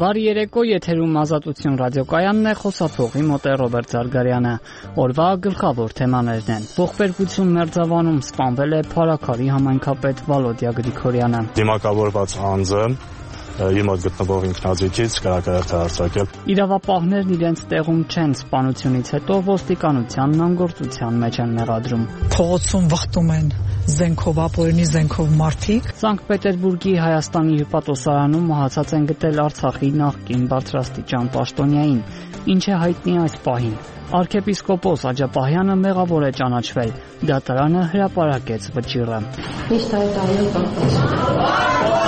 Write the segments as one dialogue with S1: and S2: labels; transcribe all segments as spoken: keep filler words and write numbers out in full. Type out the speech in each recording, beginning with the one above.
S1: Բարի երեկո, եթերում Ազատություն ռադիոկայանն է, խոսափողի մոտ է Ռոբերտ Զարգարյանը։ Օրվա գլխավոր թեմաներն են. ողբերգություն Մերձավանում սպանվել է Փարաքարի համայնքապետ Վալոդիա Գրիգորյանը։
S2: Դիմակավորված անձը իմոտ գտնվող ինքնաձիգից կրակարդ է արձակել։
S1: Իրավապահներն իրենց տեղում չեն, սպանությունից հետո ոստիկանությանն անգործության մեջ են մեղադրում։
S3: Փողոցում վխտում են զենքով, ապօրինի զենքով մարդիկ։
S1: Սանկտ Պետերբուրգի Հայաստանի հյուպատոսարանում մահացած են գտել Արցախի նախկին բարձրաստիճան պաշտոնյային։ Ինչ է հայտնի այս պահին։ Արքեպիսկոպոս Աջապահյանը մեղավոր է ճանաչվել։ Դատարանը հրապարակեց վճիռը։
S4: Միշտ այդ այլ կապված։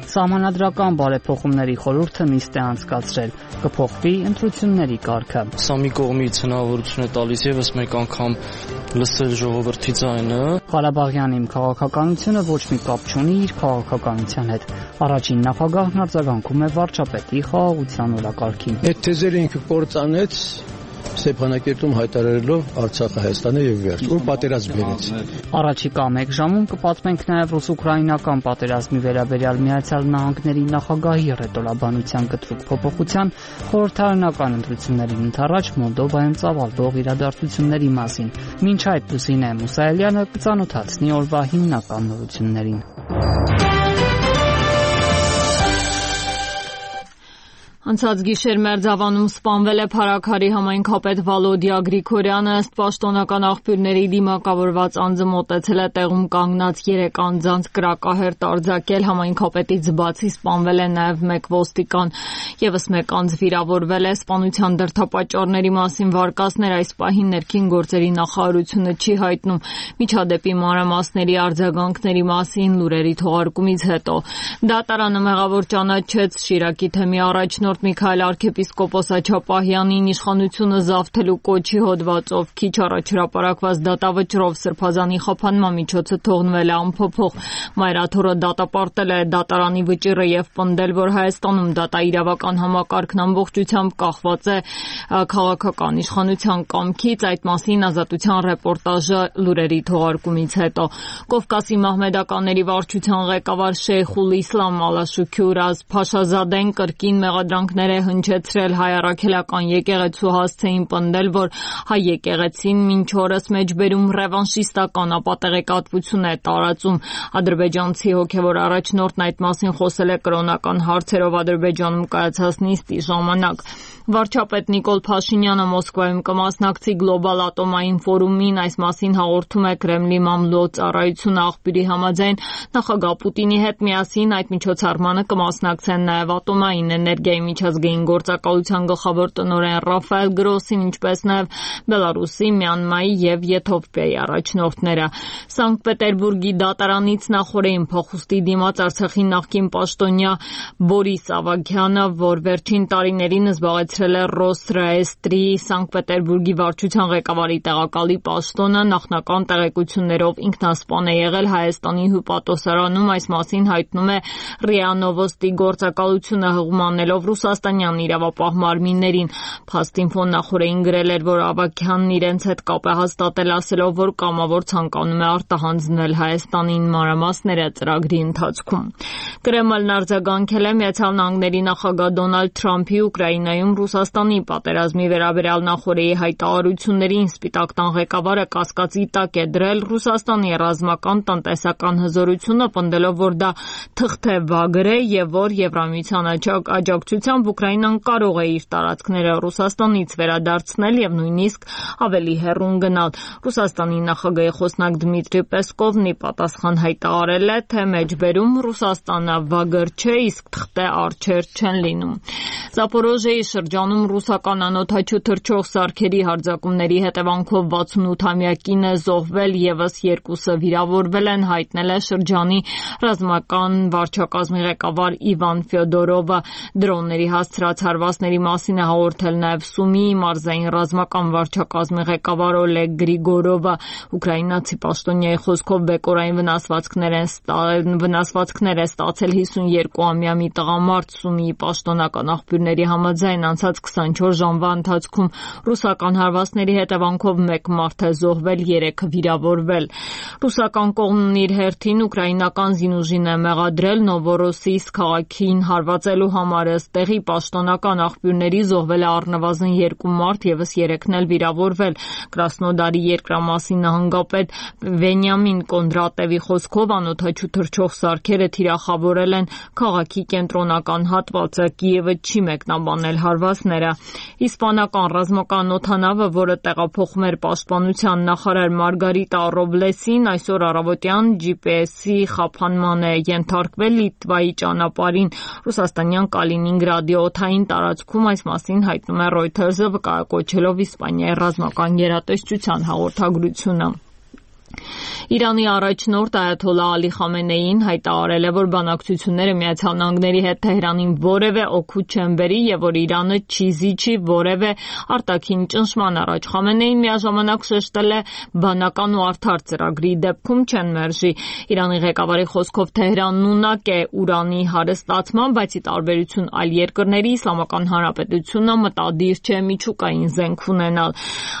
S1: Սահմանադրական բարեփոխումների խորհուրդը նիստ է անցկացրել, կփոխվի ընտրությունների կարգը։
S5: Սա մի կողմից հնարավորություն է տալիս եւս մեկ անգամ լսել ժողովրդի ձայնը։
S1: Ղարաբաղյան իմ քաղաքականությունը ոչ մի կապ չունի իր քաղաքականության հետ։ Առաջին նախագահն արձագանքում է վարչապետի խաղաղության օրակարգին։
S6: Այդ թեզերը ինքը կործանեց Ստեփանակերտում հայտարարելով Արցախը Հայաստանը եւ վերջ, ու պատերազմ բերեց։
S1: Առաջիկա մեկ ժամում կպատմենք նաեւ ռուս-ուկրաինական պատերազմի վերաբերյալ Միացյալ Նահանգների նախագահի ռետորաբանության կտրուկ փոփոխության, խորհրդարանական ընտրություններին ընդառաջ Մոլդովայում ծավալվող իրադարձությունների մասին։ Մինչ այդ Լուսինե Մուսայելյանը կծանոթացնի օրվա հիմնական նորություններին։
S7: Անցած գիշեր Մերձավանում սպանվել է Փարաքարի համայնքապետ Վալոդիա Գրիգորյանը, ըստ պաշտոնական աղբյուրների դիմակավորված անձը մոտեցել է տեղում կանգնած երեք անձանց կրակահերթ արձակել, համայնքապետից բացի սպանվել է նաև մեկ ոստիկան, եւս մեկ անձ վիրավորվել է, սպանության դրդապատճառների մասին վարկածներ այս պահին ներքին գործերի նախարարությունը չի հայտնում, միջադեպի մանրամասների արձագանքների մասին լուրերի թողարկումից հետո։ Դատարանը մեղավոր ճանաչեց Շիրակի թեմի առաջնորդ Միքայել արքեպիսկոպոս Աջապահյանին իշխանությունը զավթելու կոչի հոդվածով քիչ առաջ հրապարակված դատավճռով Սրբազանի խափանման միջոցը թողնվել է անփոփոխ։ Մայրաթորը դատապարտել է դատարանի վճիռը եւ պնդել, որ Հայաստանում դատաիրավական համակարգն ամբողջությամբ կախված է քաղաքական իշխանության կամքից։ Այդ մասին Ազատության ռեպորտաժը լուրերի թողարկումից հետո։ Կովկասի մահմեդականների վարչության ղեկավար Շեյխուլ Իսլամ Ալաշուքյուր Փաշազադեն կրկին մեղադրանք է հնչեցրել հայ առաքելական եկեղեցու հասցեին, պնդել, որ հայ եկեղեցին մինչ օրս մեջբերում ռևանշիստական ապատեղեկատվություն է տարածում։ Ադրբեջանցի հոգևոր առաջնորդն այդ մասին խոսել է կրոնական հարցերով Ադրբեջանում կայացած նիստի ժամանակ։ Վարչապետ Նիկոլ Փաշինյանը Մոսկվայում կմասնակցի գլոբալ ատոմային ֆորումին, այս մասին հաղորդում է Կրեմլի մամլո ծառայությունը աղբյուրի համաձայն նախագահ Պուտինի հետ միասին այդ միջոցառմանը կմասնակցեն նաև ատոմային էներգիայի միջազգային գործակալության գլխավոր տնօրեն Ռաֆայել Գրոսին, ինչպես նաև Բելարուսի, Մյանմայի եւ Եթովպիայի առաջնորդները։ Սանկտ Պետերբուրգի դատարանից նախորդին փախուստի դիմաց Արցախի նախկին պաշտոնյա Բորիս Ավագյանը, որ վերջին տարիներին զբաղեցրել է Ռոսրայեստրի Սանկտ Պետերբուրգի վարչության ղեկավարի տեղակալի պաշտոնը, նախնական տեղեկություններով ինքնասպան է եղել Հայաստանի հյուպատոսարանում, այս մասին հայտնում է ՌԻԱ Նովոստի գործակալությունը հղումանելով ռուսաստանյան իրավապահ մարմիններին։ Փաստինֆոն նախորդին գրել էր, որ Ավագյանն իրենց հետ կապ է հաստատել, ասելով, որ կամավոր ցանկանում է արտահանձնել Հայաստանին մանրամասները ծրագրի ընթացքում։ Կրեմլն արձագանքել է Միացյալ Նահանգների նախագահ Դոնալդ Թրամփի Ուկրաինայում Ռուսաստանի պատերազմի վերաբերյալ նախորդի հայտարարություններին։ Սպիտակ տան ղեկավարը կասկածի տակ է դրել Ռուսաստանի ռազմական տնտեսական հզորությունը, պնդելով, որ դա թղթե-վագր է եւ որ Եվրամիության աջակցությամբ Ուկրաինան կարող է իր տարածքները Ռուսաստանից վերադարձնել եւ նույնիսկ ավելի հեռուն գնալ։ Ռուսաստանի նախագահի խոսնակ Դմիտրի Պեսկովն ի պատասխան հայտարարել է, թե մեջբերում Ռուսաստանը վագր չէ, իսկ թղթե արջեր չեն լինում։ Զապորոժիեի շրջանում ռուսական անօդաչու թռչող սարքերի հարձակումների հետևանքով վաթսունութամյա կին է զոհվել, եւս երկուսը վիրավորվել են, հայտնել է շրջանի ռազմական վարչակազմի ղեկավար Իվան Ֆյոդորովը։ Դրոնների Ղարաբաղցիների հասցրած հարվածների մասին է հաղորդել նաև Սումիի մարզային ռազմական վարչակազմի ղեկավար Օլեգ Գրիգորովը։ Ուկրաինացի պաշտոնյայի խոսքով բեկորային վնասվածքներ են վնասվածքներ է ստացել հիսունյոթամյա մի տղամարդ։ Սումիի պաշտոնական աղբյուրների համաձայն անցած քսանչորս ժամվա ընթացքում ռուսական հարվածների հետևանքով մեկ մարդ է զոհվել, երեքը վիրավորվել։ Ռուսական կողմն իր հերթին ուկրաինական զինուժին է մեղադրել Նովորոսիիսկ քաղաքին հարվածելու համար։ Ըստ տեղի պաշտոնական աղբյուրների զոհվել է առնվազն երկու մարդ, ևս երեքն էլ վիրավորվել։ Կրասնոդարի երկրամասի նահանգապետ Վենյամին Կոնդրատևի խոսքով անօդաչու թռչող սարքերը թիրախավորել են քաղաքի կենտրոնական հատվածը։ Կիևը չի մեկնաբանել հարվածները։ Իսպանական ռազմական օդանավը, որը տեղափոխում էր պաշտպանության նախարար Մարգարիտա Ռոբլեսին, այսօր առավոտյան ջի պի էսի խափանման է ենթարկվել Լիտվայի ճանապարհին ռուսաստանյան Կալինինգրադի օդային տարածքում։ Այս մասին հայտնում է Reuters-ը, վկայակոչելով Իսպանիայի ռազմական գերատեսչության հաղորդագրությունը։ Իրանի առաջնորդ Այաթոլլահ Ալի Խամենեին հայտարարել է, որ բանակցությունները Միացյալ Նահանգների հետ Թեհրանին որևէ օգուտ չեն բերի եւ որ Իրանը չի զիջի որևէ արտաքին ճնշման առաջ։ Խամենեին միաժամանակ շեշտել է բանական ու արդար ծրագրի դեպքում չեն մերժի։ Իրանի ղեկավարի խոսքով Թեհրանն ունակ է ուրանի հարստացման, բայց ի տարբերություն այլ երկրների Իսլամական Հանրապետությունը մտադիր չէ միջուկային զենք ունենալ։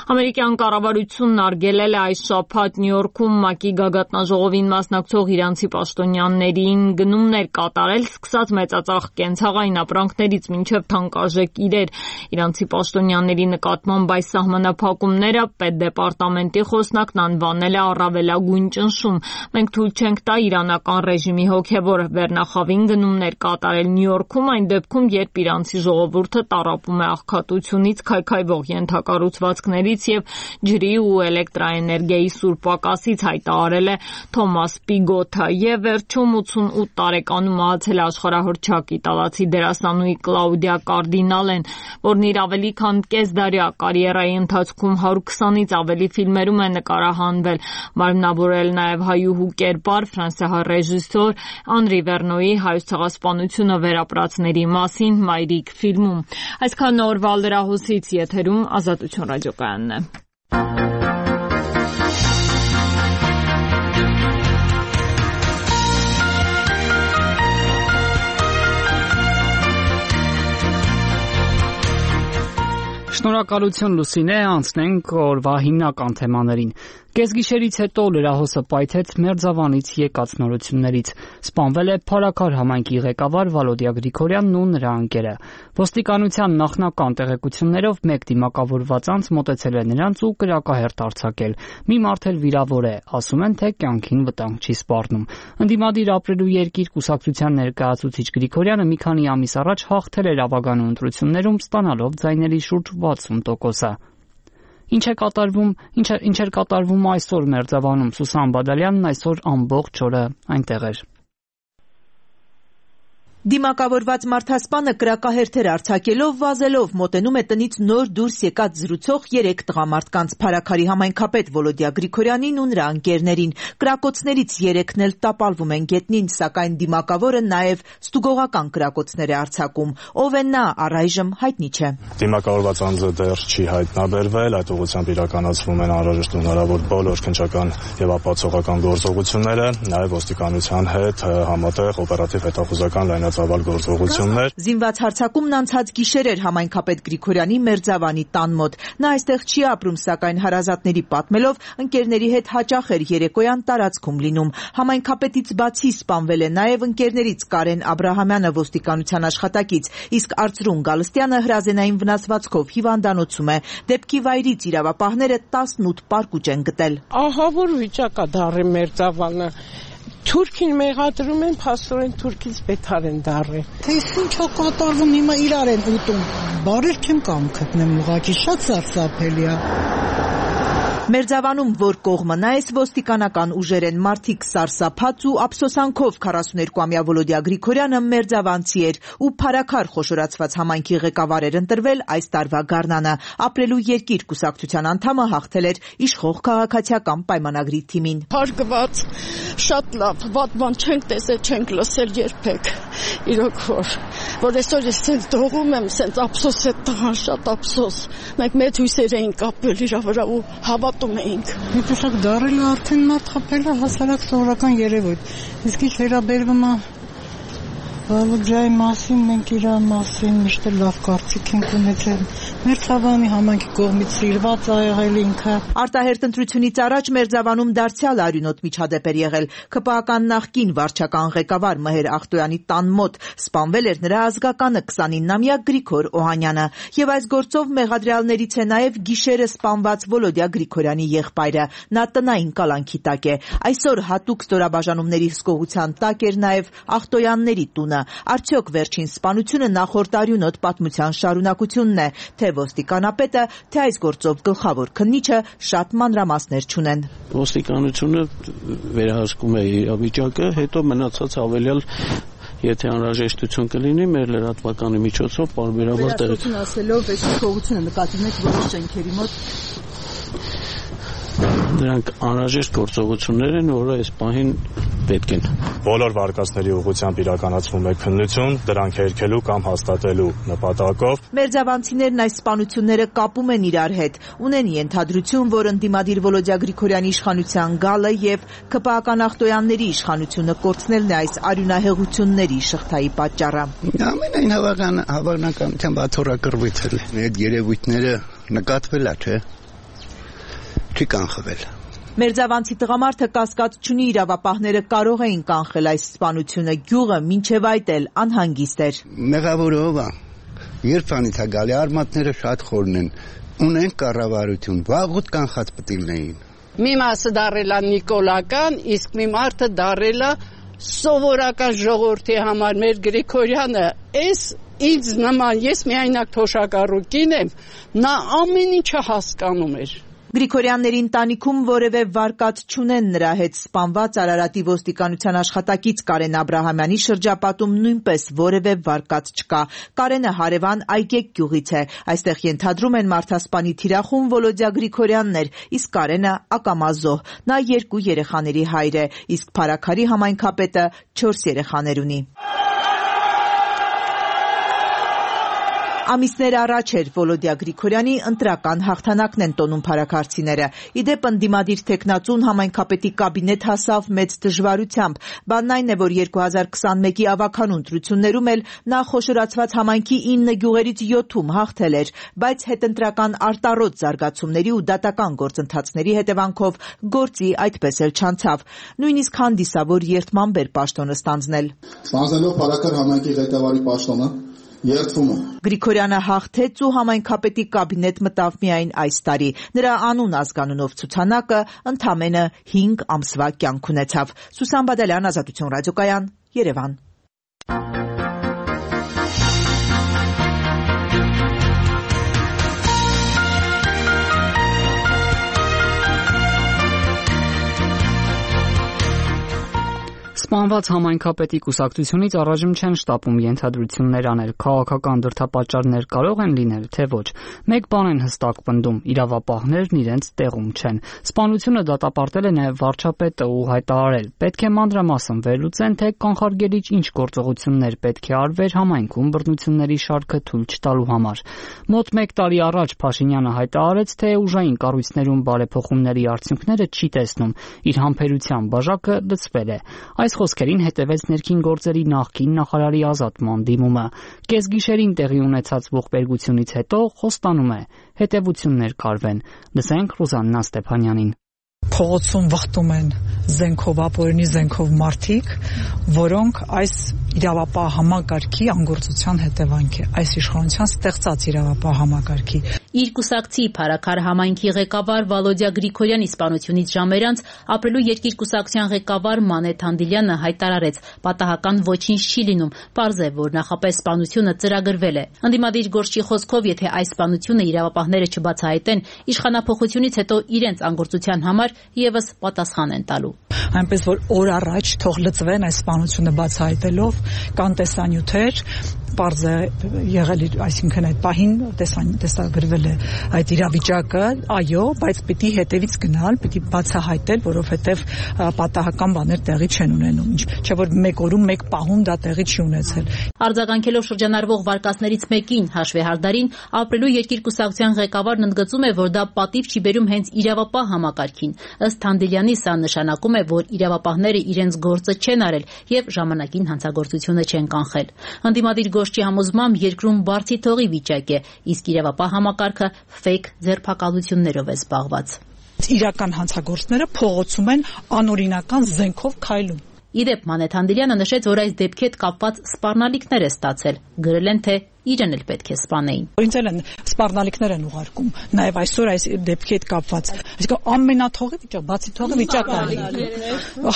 S7: Ամերիկյան կառավարությունն արգելել է այս շաբաթ Նյու Յորքում ՄԱԿ-ի գագաթնաժողովին մասնակցող իրանցի պաշտոնյաներին գնումներ կատարել, սկսած մեծածախ կենցաղային ապրանքներից մինչև թանկարժեք իրեր։ Իրանցի պաշտոնյաների նկատմամբ այս սահմանափակումները պետդեպարտամենտի խոսնակն անվանել է առավելագույն ճնշում։ Մենք թույլ չենք տա իրանական ռեժիմի հոգևոր վերնախավին գնումներ կատարել Նյու Յորքում, այն դեպքում, երբ իրանցի ժողովուրդը տառապում է աղքատությունից, քայքայվող ենթակառուցվածքներից եւ ջրի ու էլեկտրաէներգիայի սուր պակասից, հայտարարել է Թոմաս Պիգոթը։ Եվ վերջում ութսունութ տարեկանում մահացել է աշխարհահռչակ իտալացի դերասանուհի Կլաուդիա Կարդինալեն, որն իր ավելի քան կեսդարյա կարիերայի ընթացքում հարյուր քսանից ավելի ֆիլմերում է նկարահանվել։ Մարմնավորել նաև հայուհու կերպար ֆրանսիահայ ռեժիսոր Անրի Վերնոյի Հայոց ցեղասպանությունը վերապրածների մասին Մայրիկ ֆիլմում։ Այսքան օրվա լրահոսից եթերում Ազատություն ռադիոկայանն է։
S1: Շնորհակալություն Լուսինե, անցնենք օրվա հիմնական թեմաներին։ Կեսգիշերից հետո լրահոսը պայթեց Մերձավանից եկած նորություններից։ Սպանվել է Փարաքար համայնքի ղեկավար Վալոդիա Գրիգորյանն ու նրա ընկերը։ Ոստիկանության նախնական տեղեկություններով մեկ դիմակավորված անձ մոտեցել է նրանց ու կրակահերթ արձակել։ Մի մարդ էլ վիրավոր է, ասում են, թե կյանքին վտանգ չի սպառնում։ Ընդդիմադիր ապրելու երկիր կուսակցության ներկայացուցիչ Գրիգորյանը մի քանի ամիս առաջ հաղթել էր ավագանու ընտրություններում, ստանալով ձայների շուրջ վաթսուն տոկոսը։ Ինչ է կատարվում, ինչ է, ինչ էր կատարվում այսօր Մերձավանում։ Սուսան Բադալյանն այսօր ամբողջ օրը այնտեղ էր։
S8: Դիմակավորված մարդասպանը կրակահերթեր արձակելով վազելով մոտենում է տնից նոր դուրս եկած զրուցող երեք տղամարդկանց Փարաքարի համայնքապետ Վոլոդիա Գրիգորյանին ու նրա ընկերներին։ Կրակոցներից երեքն էլ տապալվում են գետնին, սակայն դիմակավորը նաև ստուգողական կրակոցներ է արձակում։ Ով է նա, առայժմ հայտնի չէ։
S2: Դիմակավորված անձը դեռ չի հայտնաբերվել, այդ ուղղությամբ իրականացվում են անհրաժեշտ ու հնարավոր բոլոր քննչական եւ ապացուցողական գործողությունները, նաև ոստիկանության հետ համատեղ օպերատիվ հետախուզական լայնածավալ գործողություններ։
S8: Զինված հարձակումն անցած գիշեր էր համայնքապետ Գրիգորյանի Մերձավանի տան մոտ։ Նա այստեղ չի ապրում, սակայն հարազատների պատմելով ընկերների հետ հաճախ էր երեկոյան տարածքում լինում։ Համայնքապետից բացի սպանվել է նաև ընկերներից Կարեն Աբրահամյանը, ոստիկանության աշխատակից, իսկ Արծրուն Գալստյանը հրազենային վնասվածքով հիվանդանոցում է։ Դեպքի վայրից իրավապահները տասնութ պարկուճ են գտել։
S9: Ահա որ վիճակա դառը Մերձավանը։ Թուրքին մեղադրում են, փաստորեն թուրքից բետար են դառել։
S10: Թե ինչ կատարվում հիմա իրար են ուտում։ Բարեր չեմ կամ գտնեմ, ուղղակի շատ սարսափելի է։
S8: Մերձավանում որ կողմը նայես ոստիկանական ուժեր են, մարդիկ սարսափած ու ափսոսանքով քառասուներկուամյա Վոլոդիա Գրիգորյանը մերձավանցի էր ու Փարաքար խոշորացված համայնքի ղեկավար էր ընտրվել այս տարվա գարնանը։ Ապրելու երկիր կուսակցության անդամը հաղթել էր իշխող քաղաքացիական պայմանագրի թիմին։
S11: Հարգված, շատ լավ, վատ բան չենք տեսել, չենք լսել երբեք։ Իրոք որ որ այսօր ես ցենց դողում եմ, ցենց ափսոս է տղան, շատ ափսոս։ Մենք մեծ հույսեր էինք կապել իր վրա ու հավատում էինք։
S10: Հետո դարել արդեն մարդ խփել է հասարակ սովորական երևույթ։ Իսկ ինչ վերաբերվում է Վալուջայի մասին, մենք իր մասին միշտ լավ կարծիք ենք ունեցել։ Մեր ցավանի համայնքի կողմից սիրված ա եղել ինքը։
S8: Արտահերտ ընտրությունից առաջ Մերձավանում դարձյալ արյունոտ միջադեպ էր եղել։ ՔՊԱ-կան նախկին վարչական ղեկավար Մհեր Ախտոյանի տան մոտ սպանվել էր նրա ազգականը քսանինամյա Գրիգոր Օհանյանը։ Եվ այս գործով մեղադրյալներից է նաև գիշերը սպանված Վոլոդյա Գրիգորյանի եղբայրը։ Նա տնային կալանքի տակ է։ Այսօր հատուկ ստորաբաժանումների հսկողության տակ էր նաև Ախտոյանների տունը։ Արդյոք վերջին սպանությունը նախորդ արյունոտ պատմության շարունակությունն է, թե ոստիկանապետը, թե այս գործով գլխավոր քննիչը շատ մանրամասներ չունեն։
S6: Ոստիկանությունը վերահսկում է իրավիճակը, հետո մնացած հավելյալ եթե անհրաժեշտություն կլինի մեր լրատվականի միջոցով պարբերաբար տեղի։
S8: Վերահսկություն ասելով այս հսկողությունը նկատի ունեք որոշ շենքերի մոտ։
S6: Դրանք անհրաժեշտ գործողություններ են, որը այս պահին պետք են։
S2: Բոլոր վարկածների ուղղությամբ իրականացվում է քննություն, դրանք հերքելու կամ հաստատելու նպատակով։
S8: Մերձավանցիներն այս սպանությունները կապում են իրար հետ, ունեն ենթադրություն, որ ընդդիմադիր Վոլոդյա Գրիգորյանի իշխանության գալը եւ ՔՊԱ-կան Ախտոյանների իշխանությունը կորցնելն է այս արյունահեղությունների շղթայի պատճառը։
S12: Ամենայն հավական հավանականությամբ աթոռակռվից է։ Այդ երևույթները նկատվել է, չէ՞։ Չի կանխվել։
S8: Մերձավանցի տղամարդը կասկած չունի իրավապահները կարող էին կանխել այս սպանությունը, գյուղը մինչև այդ էլ անհանգիստ էր։
S12: Մեղավորը ով է։ Երբանից է գալի, արմատները շատ խորն են, ունեն կառավարություն, վաղուց կանխած պետք լինեին։
S11: Մի մասը դարել է նիկոլական, իսկ մի մարդը դարել է սովորական ժողովրդի համար։ Մեր Գրիգորյանը էս ինձ նման, ես միայնակ թոշակառուկին եմ, նա ամեն ինչը հասկանում էր։
S8: Գրիգորյանների ընտանիքում որևէ վարկած չունեն նրա հետ սպանված Արարատի ոստիկանության աշխատակից Կարեն Աբրահամյանի շրջապատում նույնպես որևէ վարկած չկա։ Կարենը հարևան Այգեկ գյուղից է։ Այստեղ ենթադրում են մարդասպանի թիրախում Վոլոդյա Գրիգորյանն էր, իսկ Կարենը ակամազոհ։ Նա երկու երեխաների հայր է, իսկ Փարաքարի համայնքապետը չորս երեխաներ ունի։ Ամիսներ առաջ էր Վոլոդյա Գրիգորյանի ընտրական հաղթանակն են տոնում փարաքարցիները։ Իդեպ ընդդիմադիր թեկնածուն համայնքապետի կաբինետ հասավ մեծ դժվարությամբ։ Բանն այն է, որ երկու հազար քսանմեկի ավագանուն ընտրություններում էլ նա խոշորացված համայնքի ինը գյուղերից յոթում հաղթել էր, բայց հետընտրական արտառոտ զարգացումների ու դատական գործընթացների հետևանքով գործի այդպես էլ չանցավ։ Նույնիսկ հանդիսավոր երդմամբ էր պաշտոնը ստանձնել։
S13: Ստանձնելով Փարաքար համայնքի ղեկավարի պաշտոնը երդվում է։
S8: Գրիգորյանը հաղթեց ու համայնքապետի կաբինետ մտավ միայն այս տարի։ Նրա անուն ազգանունով ցուցանակը ընդամենը հինգ ամսվա կյանք ունեցավ։ Սուսան Բադալյան, Ազատություն ռադիոկայան, Երևան։
S1: Սպանված համայնքապետի կուսակցությունից առայժմ չեն շտապում ենթադրություններ անել, քաղաքական դրդապատճառներ կարող են լինել, թե ոչ։ Մեկ բան են հստակ պնդում՝ իրավապահներն իրենց տեղում չեն։ Սպանությունը դատապարտել է նաև վարչապետը ու հայտարարել՝ պետք է մանրամասն վերլուծեն, թե կանխարգելիչ ինչ գործողություններ պետք է արվեր համայնքում բռնությունների շարքը թույլ չտալու համար։ Մոտ մեկ տարի առաջ Փաշինյանը հայտարարեց, թե ուժային կառույցներում բարեփոխումների արդյունքները չի տեսնում, իր համբերության բաժակը լցվել է։ Այս խոսքերին հետևեց ներքին գործերի նախկին նախարարի ազատման դիմումը։ Կեսգիշերին տեղի ունեցած ողբերգությունից հետո խոստանում է հետևություններ կարվեն։ Լսենք Ռուզաննա Ստեփանյանին։
S3: Փողոցում վխտում են զենքով, ապօրինի զենքով մարդիկ, որոնք այս իրավապահ համակարգի անգործության հետևանք է, այս իշխանության ստեղծած իրավապահ համակարգի։
S14: Իր կուսակցի Փարաքար համայնքի ղեկավար Վալոդյա Գրիգորյանի սպանությունից ժամեր անց ապրելու երկիր կուսակցության ղեկավար Մանե Թանդիլյանը հայտարարեց՝ պատահական ոչինչ չի լինում, պարզ է, որ նախապես սպանությունը ծրագրվել է։ Ընդդիմադիր գործչի խոսքով, եթե այս սպանությունը իրավապահները չբացահայտեն, իշխանափոխությունից հետո իրենց անգործության համար եւս պատասխան են տալու։
S3: Այնպես որ օր առաջ թող լծվեն այս սպանությունը բացահայտելով, կան տեսանյութեր, պարզ է եղել, այսինքն այդ պահին տեսագրվել կատարվել է այդ իրավիճակը, այո, բայց պիտի հետևից գնալ, պիտի բացահայտել, որովհետև պատահական բաներ տեղի չեն ունենում, չէ՞ որ մեկ օրում, մեկ պահում դա տեղի չի ունեցել։
S14: Արձագանքելով շրջանառվող վարկածներից մեկին հաշվեհարդարին, ապրելու երկիր կուսակցության ղեկավարն ընդգծում է, որ դա պատիվ չի բերում հենց իրավապահ համակարգին։ Ըստ Թանդիլյանի, սա նշանակում է, որ իրավապահները իրենց գործը չեն արել եւ ժամանակին հանցագործությունը չեն կանխել։ Ընդդիմադիր Գոշչի համոզմամբ երկրում բարձի թողի վիճակ է, իսկ իրավապահ համակարգը ֆեյք ձերբակալություններով է զբաղված։
S3: Իրական հանցագործները փողոցում են անօրինական զենքով քայլում։
S14: Իդեպ Մանե Թանդիլյանը նշեց, որ այս դեպքի հետ կապված սպառնալիքներ է ստացել։ Գրել են, թե իրեն էլ պետք է սպանեին։
S3: Ինձ էլ են սպառնալիքներ են ուղարկում, նաև այսօր այս դեպքի հետ կապված։ Այսինքն ամենաթողի վիճակ, բացի թողի վիճակն է։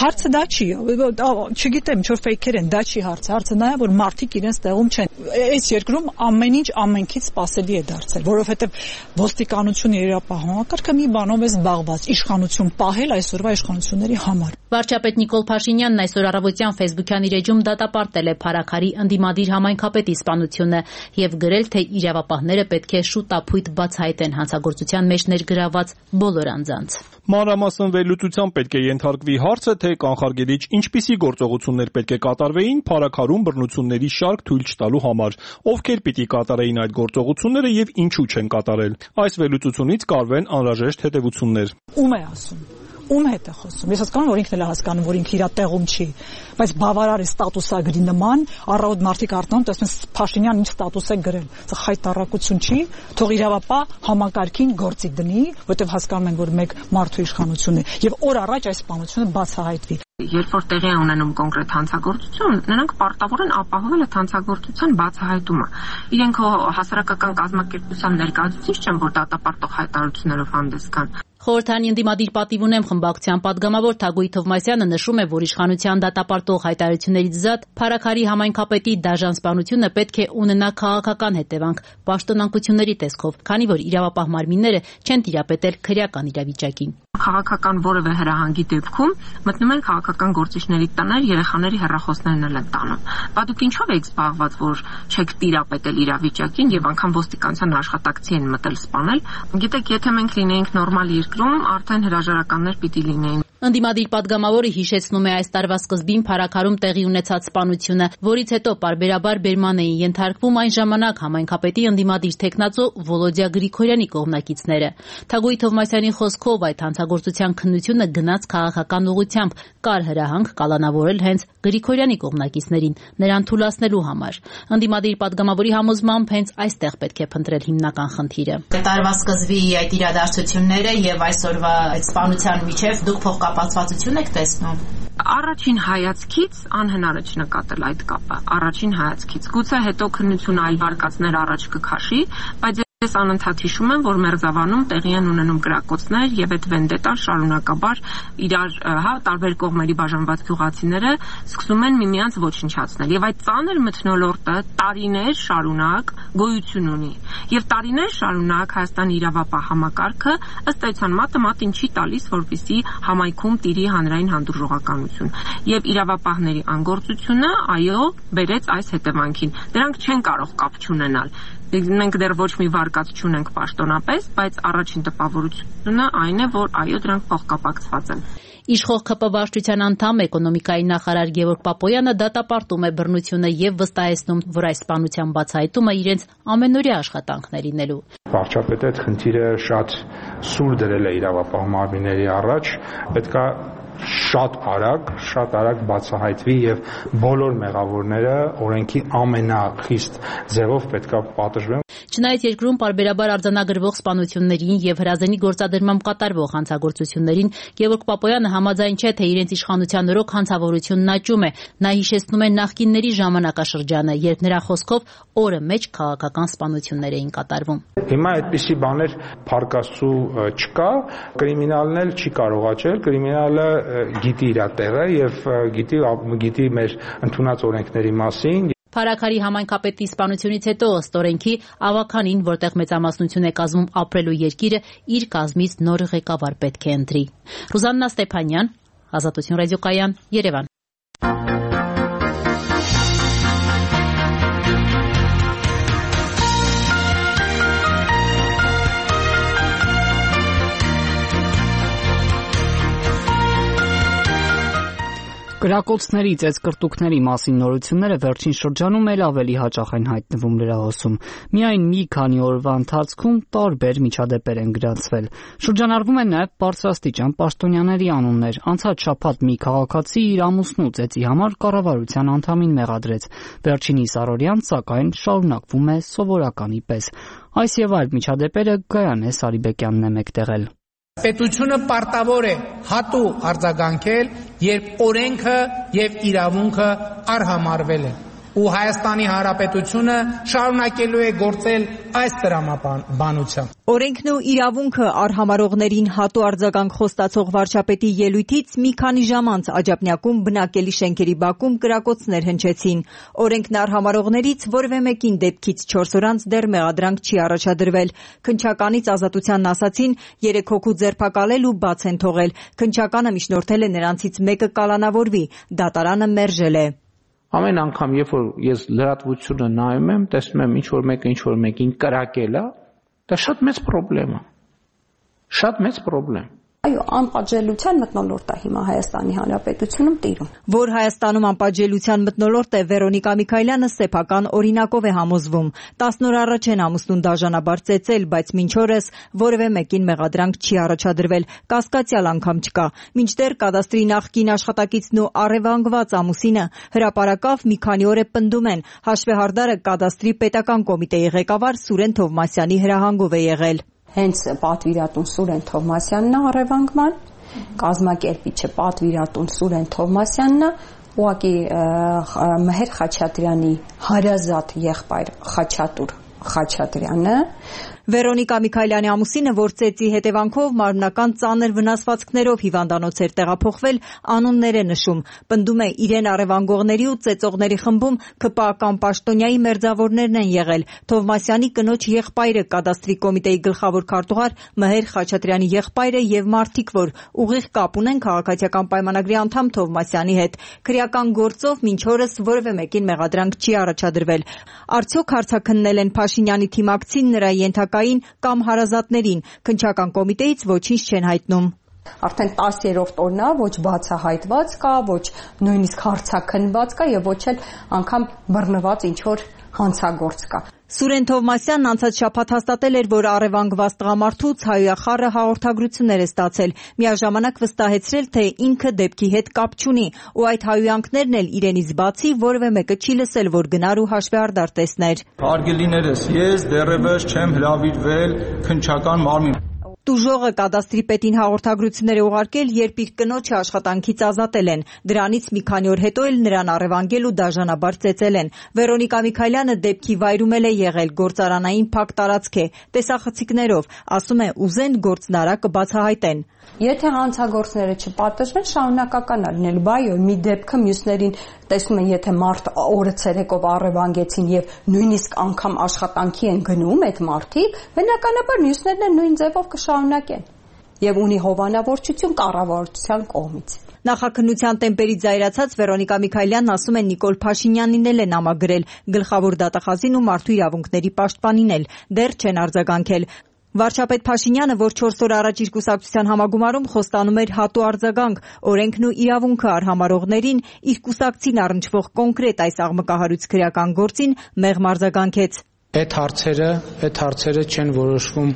S3: Հարցը դա չի, չգիտեմ, ինչ որ ֆեյքեր են, դա չի հարցը։ Հարցը նա է, որ մարդիկ իրենց տեղում չեն։ Այս երկրում ամեն ինչ ամենքից սпасելի է դարձել, որովհետև ոստիկանությունը իրավապահ համակարգը մի բանով է զբաղված՝ իշխանություն պահել այսօրվա իշխանությունների համար։
S14: Վարչապետ Նիկոլ Փաշինյանն այսօր առավոտյան Facebook-յան իր էջում դատապարտել է Փարաքարի ընդդիմադիր համայնքապետի սպանությունը եւ գրել, թե իրավապահները պետք է շուտապույտ բացահայտեն հանցագործության մեջ ներգրավված բոլոր անձանց։
S15: Մանրամասն վերլուծության պետք է ենթարկվի հարցը, թե կանխարգելիչ ինչպիսի գործողություններ պետք է կատարվեին Փարաքարում բռնությունների շարք թույլ չտալու համար, ովքեր պիտի կատարեին այդ գործողությունները եւ ինչու չեն կատարել։ Այս վերլուծությունից կարվեն անհրաժեշտ հետեւություններ։
S3: Ում է ասում։ Ում հետ է խոսում։ Ես հասկանում եմ, որ ինքն էլ է հասկանում, որ ինքը իր տեղում չի, բայց բավարար է ստատուսագրի նման, առավոտ մարդիկ արտանում տեսնում են Փաշինյան ինչ ստատուս է գրել։ Սա խայտարակություն չի, թող իրավապահ համակարգին գործի դնի, որտեղ հասկանում են, որ մեկ մարդու իշխանություն է, եւ օր առաջ այս սպանությունը բացահայտվի։
S16: Երբ որ տեղի է ունենում կոնկրետ հանցագործություն, նրանք պարտավոր են ապահովել այդ հանցագործության բացահայտումը։ Իրենք հասարակական կազմակերպության ներկայացուցիչ չեն, որ դատապարտող հայտարարություններով հանդես գան։
S14: Խորհրդարանի ընդդիմադիր պատիվ ունեմ խմբակցության падգամավոր Թագուհի Թովմասյանը նշում է, որ իշխանության դատապարտող հայտարարություններից զատ Փարաքարի համայնքապետի դաժան սպանությունը պետք է ունենա քաղաքական հետևանք, պաշտոնանկությունների տեսքով, քանի որ իրավապահ մարմինները չեն տիրապետել քրեական իրավիճակին։
S16: Քաղաքական որևէ հրահանգի դեպքում մտնում են քաղաքական գործիչների տներ, երեխաների հեռախոսներն էլ են տանում։ Բա դուք ինչով եք զբաղված, որ չեք տիրապետել իրավիճակին եւ անգամ ոստիկանության աշխատակցի են մտել սպանել։ Գիտեք, եթե մենք լինեինք նորմալ երկրում, արդեն հրաժարականներ պիտի լինեին։
S14: Ընդդիմադիր падգամավորը հիշեցնում է այս տարվա սկզբին Փարաքարում տեղի ունեցած սպանությունը, որից հետո պարբերաբար բերման էին ենթարկվում այն ժամանակ համայնքապետի ընդդիմադիր տեխնացու Վոլոդիա Գրիգորյանի կողմնակիցները։ Թագուհի Թովմասյանի խոսքով այդ հանցագործության քննությունը գնաց քաղաքական ուղղությամբ, կար հրահանգ կալանավորել հենց Գրիգորյանի կողմնակիցներին, նրան թուլացնելու համար։ Ընդդիմադիր падգամավորի համոզմամբ հենց այստեղ պետք է փնտրել հիմնական խնդիրը։
S17: Տարվա սկզբի այդ իրադարձությունները եւ այսօրվա այդ սպանության միջև դուք փոխկապակցվածություն եք տեսնում։
S16: Առաջին հայացքից անհնար է չնկատել այդ կապը։ Առաջին հայացքից գուցե հետո քննությունը այլ վարկածներ առաջ կքաշի, բայց ես անընդհատ հիշում եմ, որ Մերձավանում տեղի են ունենում կրակոցներ եւ այդ վենդետան շարունակաբար իրար, հա, տարբեր կողմերի բաժանված գյուղացիները սկսում են միմյանց ոչնչացնել եւ այդ ծանր մթնոլորտը տարիներ շարունակ գոյություն ունի եւ տարիներ շարունակ Հայաստանի իրավապահ համակարգը ըստ էության մատը մատին չի տալիս, որպեսզի համայնքում տիրի հանրային հանդուրժողականություն եւ իրավապահների անգործությունը այո բերեց այս հետևանքին։ Դրանք չեն կարող կապ չունենալ։ Մենք դեռ ոչ մի վարկած չունենք պաշտոնապես, բայց առաջին տպավորությունը այն է, որ այո, դրանք փոխկապակցված են։
S14: Իշխող ՔՊ վարչության անդամ էկոնոմիկայի նախարար Գևորգ Պապոյանը դատապարտում է բռնությունը եւ վստահեցնում, որ այս սպանության բացահայտումը իրենց ամենօրյա աշխատանքն է լինելու։
S18: Վարչապետը այդ խնդիրը շատ սուր դրել է իրավապահ մարմինների առաջ, պետքա շատ արագ, շատ արագ բացահայտվի եւ բոլոր մեղավորները օրենքի ամենախիստ ձևով պետքա պատժվեն։
S14: Չնայած երկրում պարբերաբար արձանագրվող սպանություններին եւ հրազենի գործադրմամբ կատարվող հանցագործություններին Գևորգ Պապոյանը համաձայն չէ, թե իրենց իշխանության օրոք հանցավորությունն աճում է։ Նա հիշեցնում է նախկինների ժամանակաշրջանը, երբ նրա խոսքով օրը մեջ քաղաքական սպանություններ էին կատարվում։
S18: Հիմա այդպիսի բաներ փառկաստու չկա, կրիմինալն էլ չի կարող աճել, կրիմինալը գիտի իր տեղը եւ գիտի գիտի մեր ընդունած օրենքների մասին։
S14: Փարաքարի համայնքապետի սպանությունից հետո ըստ օրենքի ավականին, որտեղ մեծամասնություն է կազմում ապրելու երկիրը, իր կազմից նոր ղեկավար պետք է ընտրի։ Ռուզաննա Ստեփանյան, Ազատություն ռադիոկայան, Երևան։
S1: Կրակոցների, ծեծկռտուքների մասին նորությունները վերջին շրջանում էլ ավելի հաճախ են հայտնվում լրահոսում։ Միայն մի քանի օրվա ընթացքում տարբեր միջադեպեր են գրանցվել։ Շրջանառվում են նաև բարձրաստիճան պաշտոնյաների անուններ։ Անցած շաբաթ մի քաղաքացի իր ամուսնու ծեծի համար կառավարության անդամին մեղադրեց։ Վերջինիս առօրյան, սակայն, շարունակվում է սովորականի պես։ Այս եւ այլ միջադեպերը Գայանե Սարիբեկյանն է մեկտեղել։
S19: Պետությունը պարտավոր է հատուկ արձագանքել, երբ օրենքը եւ իրավունքը արհամարվել են։ Ու Հայաստանի Հանրապետությունը շարունակելու է գործել այս տրամաբանությամբ։
S8: Օրենքն ու իրավունքը արհամարողներին հատու արձագանք խոստացող վարչապետի ելույթից մի քանի ժամ անց Աջափնյակում բնակելի շենքերի բակում կրակոցներ հնչեցին։ Օրենքն արհամարողներից որևէ մեկին դեպքից չորս օր անց դեռ մեղադրանք չի առաջադրվել։ Քննչականից ազատությանն ասացին երեք հոգու ձերբակալել ու բաց են թողել։ Քննչականը միջնորդել է նրանցից մեկը կալանավորվի, դատարանը մերժել է։
S20: Ամեն անգամ, երբ որ ես լրատվությունը նայում եմ, տեսնում եմ ինչ-որ մեկը ինչ-որ մեկին կրակել է, դա շատ մեծ խնդրեմ է։ Շատ մեծ խնդրեմ։
S21: Այո, անպատժելիության մթնոլորտ է հիմա Հայաստանի Հանրապետությունում տիրում։
S8: Որ Հայաստանում անպատժելիության մթնոլորտ է, Վերոնիկա Միքայելյանը սեփական օրինակով է համոզվում։ տասն օր առաջ են ամուսնուն դաժանաբար ծեծել, բայց մինչ օրս որևէ մեկին մեղադրանք չի առաջադրվել, կասկածյալ անգամ չկա։ Մինչդեռ կադաստրի նախկին աշխատակիցն ու առևանգված ամուսինը հրապարակավ մի քանի օր է պնդում են։ Հաշվեհարդարը կադաստրի պետական կոմիտեի ղեկավար Սուրեն Թովմասյանի հրահանգով է եղել։
S21: Հենց պատվիրատուն Սուրեն Թովմասյանն է առևանգման, կազմակերպիչը պատվիրատուն Սուրեն Թովմասյանն է, ուղղակի Մհեր Խաչատրյանի հարազատ եղբայր Խաչատուր Խաչատրյանը։ Վերոնիկա Միքայելյանի ամուսինը, որ ծեծի հետևանքով մարմնական ծանր վնասվածքներով հիվանդանոց էր տեղափոխվել, անուններ է նշում։ Պնդում է իրեն առևանգողների ու ծեծողների խմբում ՔՊԱ-ական պաշտոնյայի մերձավորներն են եղել։ Թովմասյանի կնոջ եղբայրը կադաստրի կոմիտեի գլխավոր քարտուղար Մհեր Խաչատրյանի եղբայրը եւ մարդիկ, որ ուղիղ կապ ունեն քաղաքացիական պայմանագրի անդամ Թովմասյանի հետ։ Քրեական գործով մինչ օրս որևէ մեկին մեղադրանք չի առաջադրվել։ Արդյոք հարցաքննել են Փաշինյանի թիմակցին, նրա ենթակային կամ հարազատներին, քննչական կոմիտեից ոչինչ չեն հայտնում։ Արդեն տասերորդ օրն է, ոչ բացահայտված կա, ոչ նույնիսկ հարցաքննված կա եւ ոչ էլ անգամ բռնված ինչ-որ հանցագործ կա։
S8: Սուրեն Թովմասյանն անցած շաբաթ հաստատել էր, որ առևանգված տղամարդուց հայոյախառը հաղորդագրություններ է ստացել, միաժամանակ վստահեցրել, թե ինքը դեպքի հետ կապ չունի, ու այդ հայոյանքներն էլ իրենից բացի որևէ մեկը չի լսել, որ գնար ու հաշվեհարդար տեսներ։
S22: Հարգելիներս, ես դեռևս չեմ հրավիրվել քննչական մարմին։
S8: Տուժողը կադաստրի պետին հաղորդագրություններ է ուղարկել, երբ իր կնոջը աշխատանքից ազատել են։ Դրանից մի քանի օր հետո էլ նրան առևանգել ու դաժանաբար ծեծել են։ Վերոնիկա Միքայելյանը դեպքի վայրում էլ է եղել, գործարանային փակ տարածք է, տեսախցիկներով, ասում է ուզեն գործնարա կբացահայտեն։
S21: Եթե հանցագործները չպատժվեն, շարունակական է լինել, բայ մի դեպքը մյուսներին տեսնում են, եթե մարդ օրը ցերեկով առևանգեցին եւ նույնիսկ անգամ աշխատանքի են գնում այդ մարդիկ, բնականաբար մյուսներն են նույն ձևով կշարունակեն եւ ունի հովանավորչություն կառավարության կողմից։
S8: Նախաքննության տեմպերից զայրացած Վերոնիկա Միքայելյանն ասում է Նիկոլ Փաշինյանին էլ է նամագրել, գլխավոր դատախազին ու մարդու իրավունքների պաշտպանին էլ, դեռ չեն արձագանքել։ Վարչապետ Փաշինյանը, որ չորս օր առաջ իր կուսակցության համագումարում խոստանում էր հատու արձագանք, օրենքն ու իրավունքը արհամարողներին, իր կուսակցին առնչվող կոնկրետ այս աղմկահարույց քրեական գործին մեղմ արձագանքեց։
S23: Այդ հարցերը, այդ հարցերը չեն որոշվում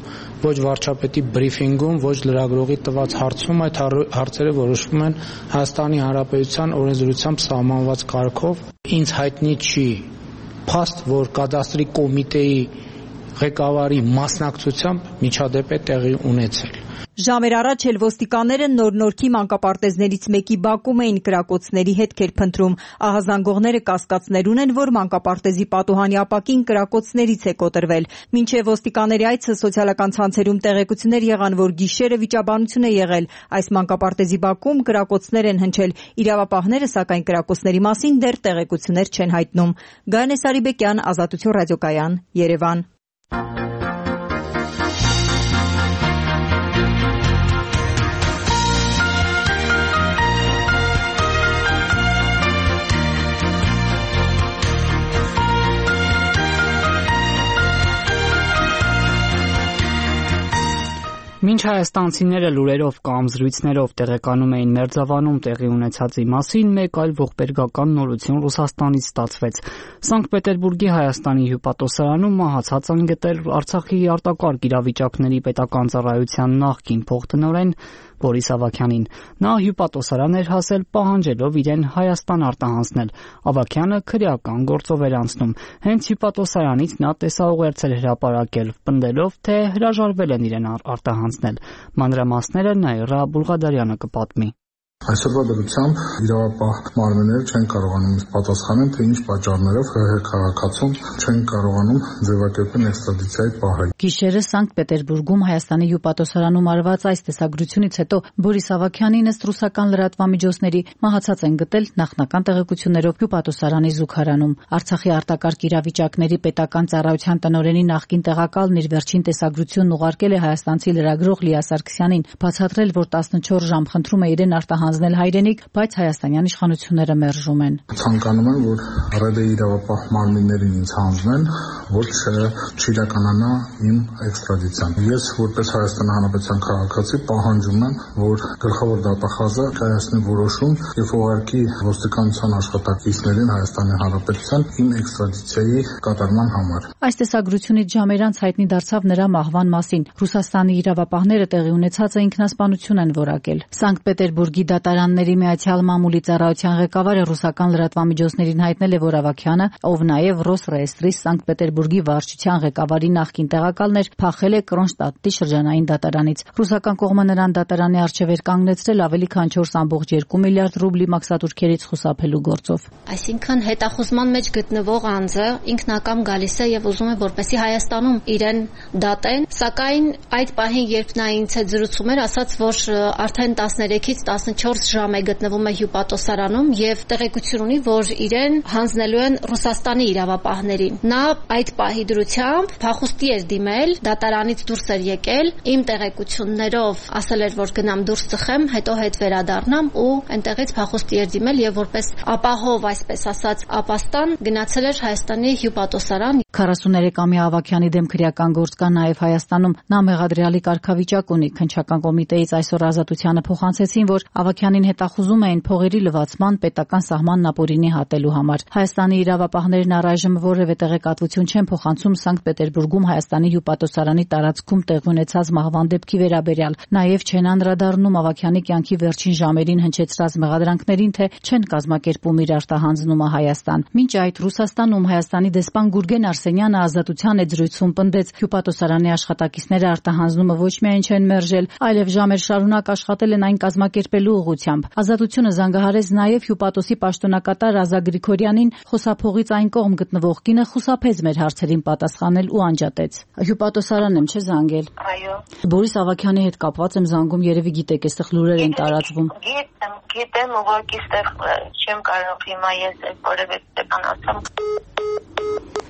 S23: ոչ վարչապետի բրիֆինգում, ոչ լրագրողի տված հարցում, այդ հարցերը որոշվում են Հայաստանի Հանրապետության օրենսդրությամբ սահմանված կարգով։ Ինձ հայտնի չի փաստ, որ կադաստրի կոմիտեի ղեկավարի մասնակցությամբ միջադեպ է տեղի ունեցել։
S8: Ժամեր առաջ էլ ոստիկանները նոր-նորքի մանկապարտեզներից մեկի բակում էին կրակոցների հետքեր փնտրում։ Ահազանգողները կասկածներ ունեն, որ մանկապարտեզի պատուհանի ապակին կրակոցներից է կոտրվել։ Մինչև ոստիկանների այցը սոցիալական ցանցերում տեղեկություններ եղան, որ գիշերը վիճաբանություն է եղել։ Այս մանկապարտեզի բակում կրակոցներ են հնչել։ Իրավապահները, սակայն, կրակոցների մասին դեռ տեղեկություններ չեն հայտնում։ Գայանե Սարիբեկյան, Ազատություն ռադիոկայան, Երևան։
S1: Մինչ հայաստանցիները լուրերով կամ զրույցներով տեղեկանում էին Մերձավանում տեղի ունեցածի մասին, մեկ այլ ողբերգական նորություն Ռուսաստանից ստացվեց։ Սանկտ Պետերբուրգի Հայաստանի հյուպատոսարանում մահացած են գտել Արցախի արտակարգ իրավիճակների պետական ծառայության նախկին փոխտնօրեն Բորիս Ավագյանին։ Նա հյուպատոսարան էր հասել պահանջելով իրեն Հայաստան արտահանձնել։ Ավագյանը քրեական գործով էր անցնում։ Հենց հյուպատոսարանից նա տեսաուղերձ էր հրապարակել, պնդելով, թե հրաժարվել են իրեն արտահանձնել։ Մանրամասները Նաիրա Բուլղադարյանը կպատմի։
S13: Այսօրվա դրությամբ իրավապահ մարմինները չեն կարողանում պատասխանել, թե ինչ պատճառներով ՀՀ քաղաքացուն չեն կարողանում ձևակերպել էքստրադիցիայի պահել։
S14: Գիշերը Սանկտ Պետերբուրգում Հայաստանի հյուպատոսարանում արված այս տեսագրությունից հետո Բորիս Ավագյանին ըստ ռուսական լրատվամիջոցների մահացած են գտել նախնական տեղեկություններով հյուպատոսարանի զուգարանում։ Արցախի արտակարգ իրավիճակների պետական ծառայության տնօրենի նախկին տեղակալն իր վերջին տեսագրությունն ուղարկել է հայաստանցի լրագրող Լիա Սարգսյանին, բացատրել, որ տասնչորս ժամ խնդրում է իրեն արտահանձնել հայրենիք, բայց հայաստանյան իշխանությունները մերժում են։
S13: Ցանկանում եմ, որ ՌԴ իրավապահ մարմիններին ինձ հանձնեն, որ չիրականանա իմ էքստրադիցիան։ Ես որպես Հայաստանի Հանրապետության քաղաքացի պահանջում եմ, որ գլխավոր դատախազը կայացնի որոշում եւ ուղարկի ոստիկանության աշխատակիցներին Հայաստանի Հանրապետության իմ էքստրադիցիայի կատարման համար։
S14: Այս տեսագրությունից ժամեր անց հայտնի դարձավ նրա մահվան մասին։ Ռուսաստանի իրավապահները տեղի ունեցածը ինքնասպանություն են որակել։ Սանկտ Պետերբուրգի դատարանների միացյալ մամուլի ծառայության ղեկավարը ռուսական լրատվամիջոցներին հայտնել է, որ Ավագյանը, ով նաև Ռոսրեեստրի Սանկտ Պետերբուրգի վարչության ղեկավարի նախկին տեղակալն էր, փախել է Կրոնշտադտի շրջանային դատարանից։ Ռուսական կողմը նրան դատարանի առջև էր կանգնեցրել ավելի քան չորս կόμma երկու միլիարդ ռուբլի մաքսատուրքերից խուսափելու գործով։
S4: Այսինքն հետախուզման մեջ գտնվող անձը ինքնակամ գալիս է եւ ուզում է, որպեսզի Հայաստանում իրեն դատեն, սակայն այդ պահին, երբ նա ինձ հետ զրուցում էր, ասաց, որ արդեն տասներեքից տասնչորս ժամ է գտնվում է հյուպատոսարանում եւ տեղեկություն ունի, որ իրեն հանձնելու են Ռուսաստանի իրավապահներին։ Նա այդ պահի դրությամբ փախուստի էր դիմել, դատարանից դուրս էր եկել, իմ տեղեկություններով ասել էր, որ գնամ դուրս ծխեմ, հետո հետ վերադառնամ ու այնտեղից փախուստի էր դիմել եւ որպես ապահով, այսպես ասած, ապաստան գնացել էր Հայաստանի հյուպատոսարան։
S14: քառասուներեքամյա Ավագյանի դեմ քրեական գործ կա նաև Հայաստանում։ Նա մեղադրյալի կարգավիճակ ունի։ Քննչական կոմիտեից այսօր Ազատությանը փոխանցեցին, որ Ավագյանին հետախուզում էին փողերի լվացման պետական սահմանն ապօրինի հատելու համար։ Հայաստանի իրավապահներն առայժմ որևէ տեղեկատվություն չեն փոխանցում Սանկտ Պետերբուրգում Հայաստանի հյուպատոսարանի տարածքում տեղի ունեցած մահվան դեպքի վերաբերյալ։ Նաև չեն անդրադառնում Ավագյանի կյանքի վերջին ժամերին հնչեցրած մեղադրանքներին, թե չեն կազմակերպում իր արտահանձնումը Հայաստան։ Մինչ այդ Ռուսաստանում Հայաստանի դեսպան Գուրգեն Արսենյանը Ազատության հետ զրույցում պնդեց, հյուպատոսարանի աշխատակիցները արտահանձնումը ոչ միայն չեն մերժել, այլև ժամեր շարունակ աշխատել են այն կազմակերպելու ուղղությամբ։ Ազատությունը զանգահարեց նաև հյուպատոսի պաշտոնակատար Ազա Գրիգորյանին, խոսափողից այն կողմ գտնվող կինը խուսափեց մեր հարցերին պատասխանել ու անջատեց։ Հյուպատոսարանն եմ, չէ՞ զանգել։
S5: Այո։
S14: Բորիս Ավագյանի հետ կապված եմ զանգում, երևի գիտեք, այստեղ լուրեր են տարածվում։
S5: Գիտեմ, գիտեմ, ուղղակի այստեղ չեմ կարող հիմա ես որևէ տեկան ասեմ։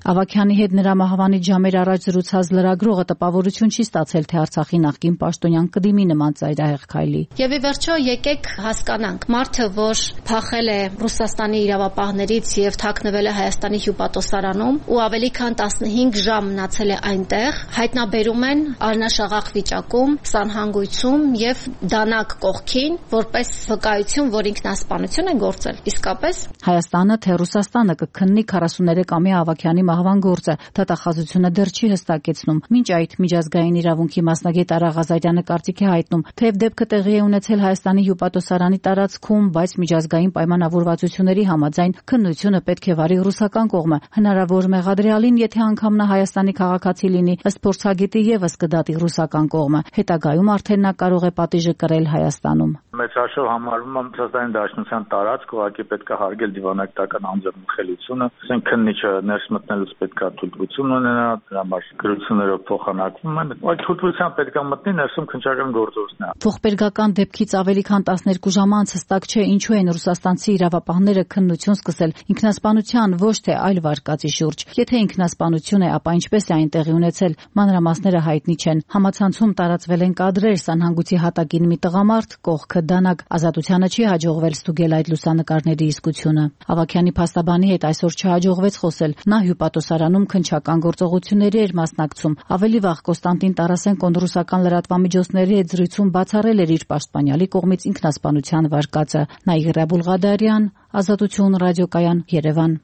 S14: Ավագյանի հետ նրա մահվանից ժամեր առաջ զրուցած լրագրողը տպավորություն չի ստացել, թե Արցախի նախկին պաշտոնյան կդիմի նման ծայրահեղ քայլի։
S4: Եվ ի վերջո եկեք հասկանանք, մարդը, որ փախել է Ռուսաստանի իրավապահներից եւ թաքնվել է Հայաստանի հյուպատոսարանում ու ավելի քան տասնհինգ ժամ մնացել է այնտեղ, հայտնաբերում են արնաշաղախ վիճակում, սանհանգույցում եւ դանակ կողքին, որպես վկայություն, որ ինքնասպանություն է գործել։ Իսկապես
S14: Հայաստանը թե Ռուսաստանը կքննի քառասուներեքամյա Ավագյանի մահվան գործը, դատախազությունը դեռ չի հստակեցնում։ Մինչ այդ միջազգային իրավունքի մասնագետ Արա Ղազարյանը կարծիք է հայտնում, թեև դեպքը տեղի է ունեցել Հայաստանի հյուպատոսարանի տարածքում, բայց միջազգային պայմանավորվածությունների համաձայն քննությունը պետք է վարի ռուսական կողմը։ Հնարավոր մեղադրյալին, եթե անգամ նա Հայաստանի քաղաքացի լինի, ըստ փորձագետի եւս կդատի ռուսական կողմը։ Հետագայում արդեն նա կարող է պատիժը կրել Հայաստանում։
S7: Մեծ հաշվով համարվում է Ռուսաստանի Դաշնության տարածք, ուղղակի պետք է հարգել դիվանագիտական անձեռնմխելիությունը, ասենք քննիչը ներս մտնելուց պետք է թույլտվություն ունենա, դրա համար գրություններով փոխանակվում են, այդ թույլտվությամբ պետք է մտնի ներսում քննչական գործողություններ։
S14: Ողբերգական դեպքից ավելի քան տասներկու ժամ անց հստակ չէ ինչու են ռուսաստանցի իրավապահները քննություն սկսել ինքնասպանության ոչ թե այլ վարկածի շուրջ։ Եթե ինքնասպանություն է, ապա ինչպես է այն տեղի ունեցել, մանրամասները հայտնի չեն։ Համացանցում տարածվել են կադրեր, սանհանգույցի հատակին մի տղամարդ կողքը դանակ։ Ազատությանը չի հաջողվել ստուգել այդ լուսանկարների իսկությունը։ Ավագյանի փաստաբանի հետ այսօր չհաջողվեց խոսել։ Նա հյուպատոսարանում քննչական գործողությունների էր մասնակցում։ Ավելի վաղ Կոստանտին Տարասենկոն ռուսական լրատվամիջոցների հետ զրույցում բացառել էր իր պաշտպանյալի կողմից ինքնասպանության վարկածը։ Նաիրա Բուլղադարյան, Ազատություն ռադիոկայան, Երևան։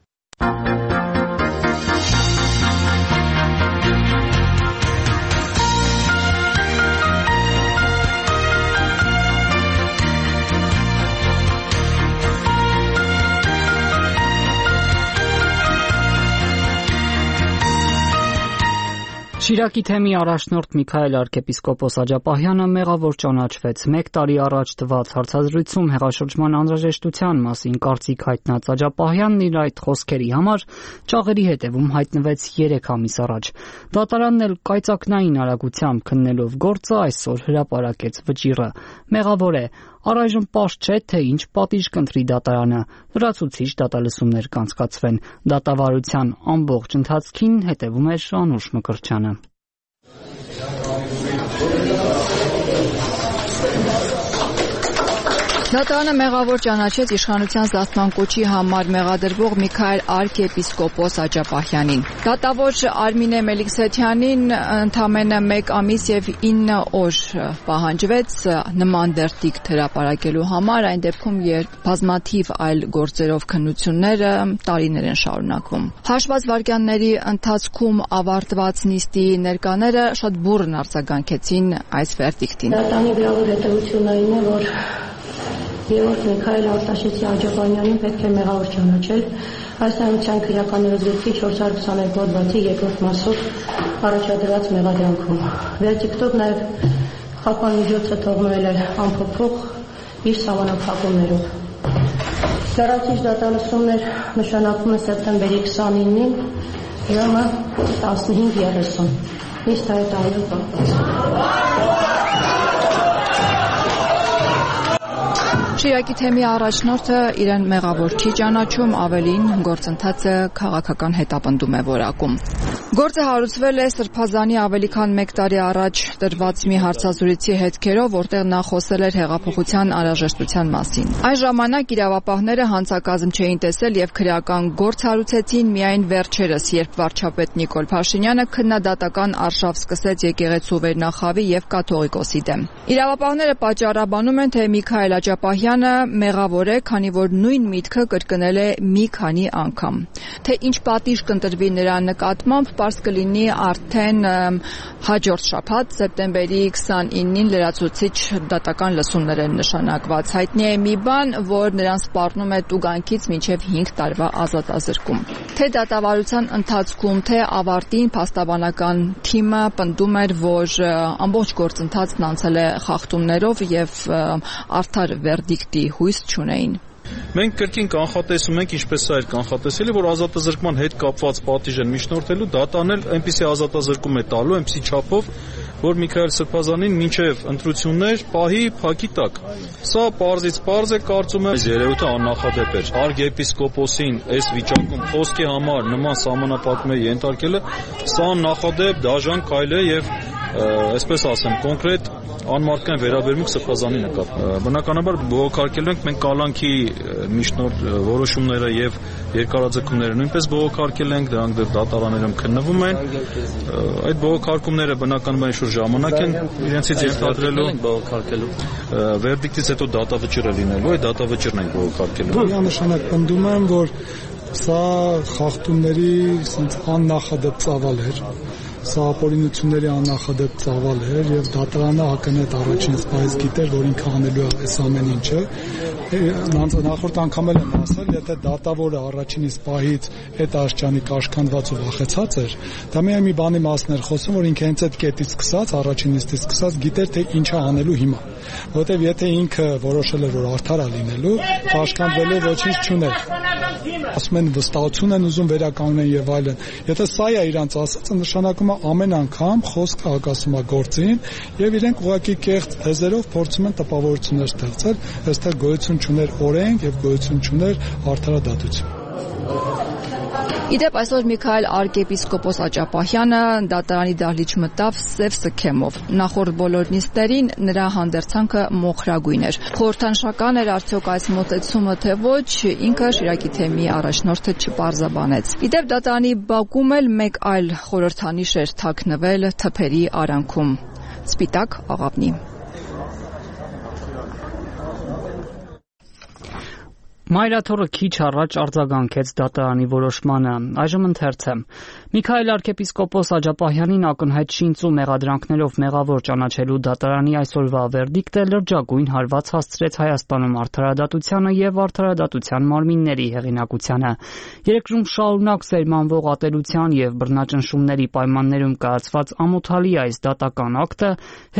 S1: Շիրակի թեմի առաջնորդ Միքայել arczepiskopos Աջապահյանը մեղավոր ճանաչվեց։ Մեկ տարի առաջ տված հարցազրույցում հեղաշրջման անհրաժեշտության մասին կարծիք հայտնած Աջապահյանն իր այդ խոսքերի համար ճաղերի հետևում հայտնվեց երեք ամիս առաջ։ Դատարանն էլ կայծակնային արագությամբ քննելով գործը այսօր հրապարակեց վճիռը։ Մեղավոր է։ Առայժմ պարզ չէ, թե ինչ պատիժ կընտրի դատարանը։ Լրացուցիչ դատալսումներ կանցկացվեն։ Դատավարության ամբողջ ընթացքին հետևում է Շանուշ Մկրտչյանը։
S6: Դատարանը մեղավոր ճանաչեց իշխանության զսպման կոչի համար մեղադրվող Միքայել arczepiskopos Աջապահյանին։ Դատավոր Արմինե Մելիքսեթյանին ընդամենը մեկ ամիս եւ ինը օր պահանջվեց նման դերտիկ հրապարակելու համար, այն դեպքում, երբ բազմաթիվ այլ գործերով քննությունները տարիներ են շարունակվում։ Հաշված վայրկյանների ընթացքում ավարտված նիստի ներկաները շատ բուռն արձագանքեցին այս վերդիկտին։
S9: Դատարանի գրավոր հետևությունն այն է, որ Երորդ Միքայել Արտաշեսի Աջապահյանին պետք է մեղավոր ճանաչել այս հանրության քրեական օրենսգրքի չորս հարյուր քսաներկու հոդվածի երկրորդ մասով առաջադրված մեղադրանքում։ Վերդիկտով նաև խաղաղ միջոցը թողնել է անփոփոխ իր սահմանափակումներով։ Լրացուցիչ դատալսումներ նշանակվում է սեպտեմբերի քսանինին ժամը տասնհինգ երեսուն։ Իսկ հայտարարել պահպանված։
S6: Շիրակի թեմի առաջնորդը իրեն մեղավոր չի ճանաչում, ավելին գործընթացը քաղաքական հետապնդում է որակում։ Գործը հարուցվել է Սրբազանի ավելի քան մեկ տարի առաջ տրված մի հարցազրույցի հետքերով, որտեղ նա խոսել էր հեղափոխության անհրաժեշտության մասին։ Այս ժամանակ իրավապահները հանցակազմ չէին տեսել եւ քրեական գործ հարուցեցին միայն վերջերս, երբ վարչապետ Նիկոլ Փաշինյանը քննադատական արշավ սկսեց եկեղեցու վերնախավի եւ կաթողիկոսի դեմ։ Իրավապահները պատճառաբանում են, թե Միքայել Աջապահյանը մեղավոր է, քանի որ նույն միտքը կրկնել է մի քանի անգամ։ Թե ինչ պատիժ կընտրվի նրա նկատմամբ, պարզ կլինի արդեն հաջորդ շաբաթ, սեպտեմբերի քսանինին լրացուցիչ դատական լսումներ են նշանակված։ Հայտնի է մի բան, որ նրան սպառնում է տուգանքից մինչև հինգ տարվա ազատազրկում։ Թե դատավարության ընթացքում, թե ավարտին փաստաբանական թիմը պնդում էր, որ ամբողջ գործընթացն անցել է խախտումներով եւ արդար վերդիկտի հույս չունեին։
S15: Մենք կրկին կանխատեսում ենք, ինչպես սա էր կանխատեսելի, որ ազատազրկման հետ կապված պատիժ են միջնորդելու, դատան էլ այնպիսի ազատազրկում է տալու, այնպիսի չափով, որ Միքայել Սրբազանին մինչև ընտրություններ պահի փակի տակ։ Սա պարզից պարզ է, կարծում եմ, այս երևույթը աննախադեպ էր։ Arczepiskoposին այս վիճակում խոսքի համար նման սահմանափակումների ենթարկելը, սա աննախադեպ դաժան քայլ է եւ այսպես ասեմ, կոնկրետ անմարդկային վերաբերմունք Սրբազանի նկատմամբ։ Բնականաբար բողոքարկելու ենք մենք կալանքի միջնորդ որոշումները եւ երկարաձգումները նույնպես բողոքարկել ենք, դրանք դատարաններում քննվում են։ Այդ բողոքարկումները բնականաբար ինչ-որ ժամանակ են իրենցից ենթադրելու բողոքարկելու։ Վերդիկտից հետո դատավճիռ է լինելու, այդ դատավճիռն ենք բողոքարկելու։
S10: Միանշանակ պնդում եմ, որ սա խախտումների աննախադեպ ծավալ էր։ Սա ապօրինությունների աննախադեպ ծավալ էր եւ դատարանը ակնհայտ առաջին սպայից գիտեր, որ ինքը անելու է այս ամեն ինչը։ Նախորդ անգամ էլ եմ ասել, եթե դատավորը առաջին սպայից այդ աշճանի կաշկանդված ու վախեցած էր, դա միայն մի բանի մասն էր խոսում, որ ինքը հենց այդ կետից սկսած, առաջին նիստից սկսած գիտեր, թե ինչ է անելու հիմա։ Որտեւ եթե ինքը որոշել էր, որ արդար է լինելու, կաշկանդվելու ոչինչ չուներ։ Ասում են վստահություն են ուզում վերականգնել եւ այլն։ Եթե սա է իրանց ասածը, նշանակում է ամեն անգամ խոսքը հակասում է գործին եւ իրենք ուղղակի կեղծ թեզերով փորձում են տպավորություններ ստեղծել, այստեղ գոյություն չուներ օրենք եւ գոյություն չուներ արդարադատություն։
S6: Իդեպ այսօր Միքայել arczepiskopos Աճապահյանը դատարանի դահլիճ մտավ սև սքեմով։ Նախորդ բոլոր նիստերին նրա հանդերձանքը մոխրագույն էր։ Խորհրդանշական էր արդյոք այս մոտեցումը թե ոչ, ինքը Շիրակի թեմի առաջնորդը չպարզաբանեց։ Իդեպ դատարանի բակում էլ մեկ այլ խորհրդանիշ էր թաքնվել թփերի արանքում՝ սպիտակ աղավնի։
S1: Մայրաթորը քիչ առաջ արձագանքեց դատարանի որոշմանը։ Այժմ ընթերցեմ։ Միքայել arczepiskopos Աճապահյանին ակնհայտ շինծ ու մեղադրանքներով մեղավոր ճանաչելու դատարանի այսօրվա վերդիկտը լրջագույն հարված հասցրեց Հայաստանում արդարադատությանը եւ արդարադատության մարմինների հեղինակությանը։ Երկրում շարունակ սերմանվող ատելության եւ բռնաճնշումների պայմաններում կայացված ամոթալի այս դատական ակտը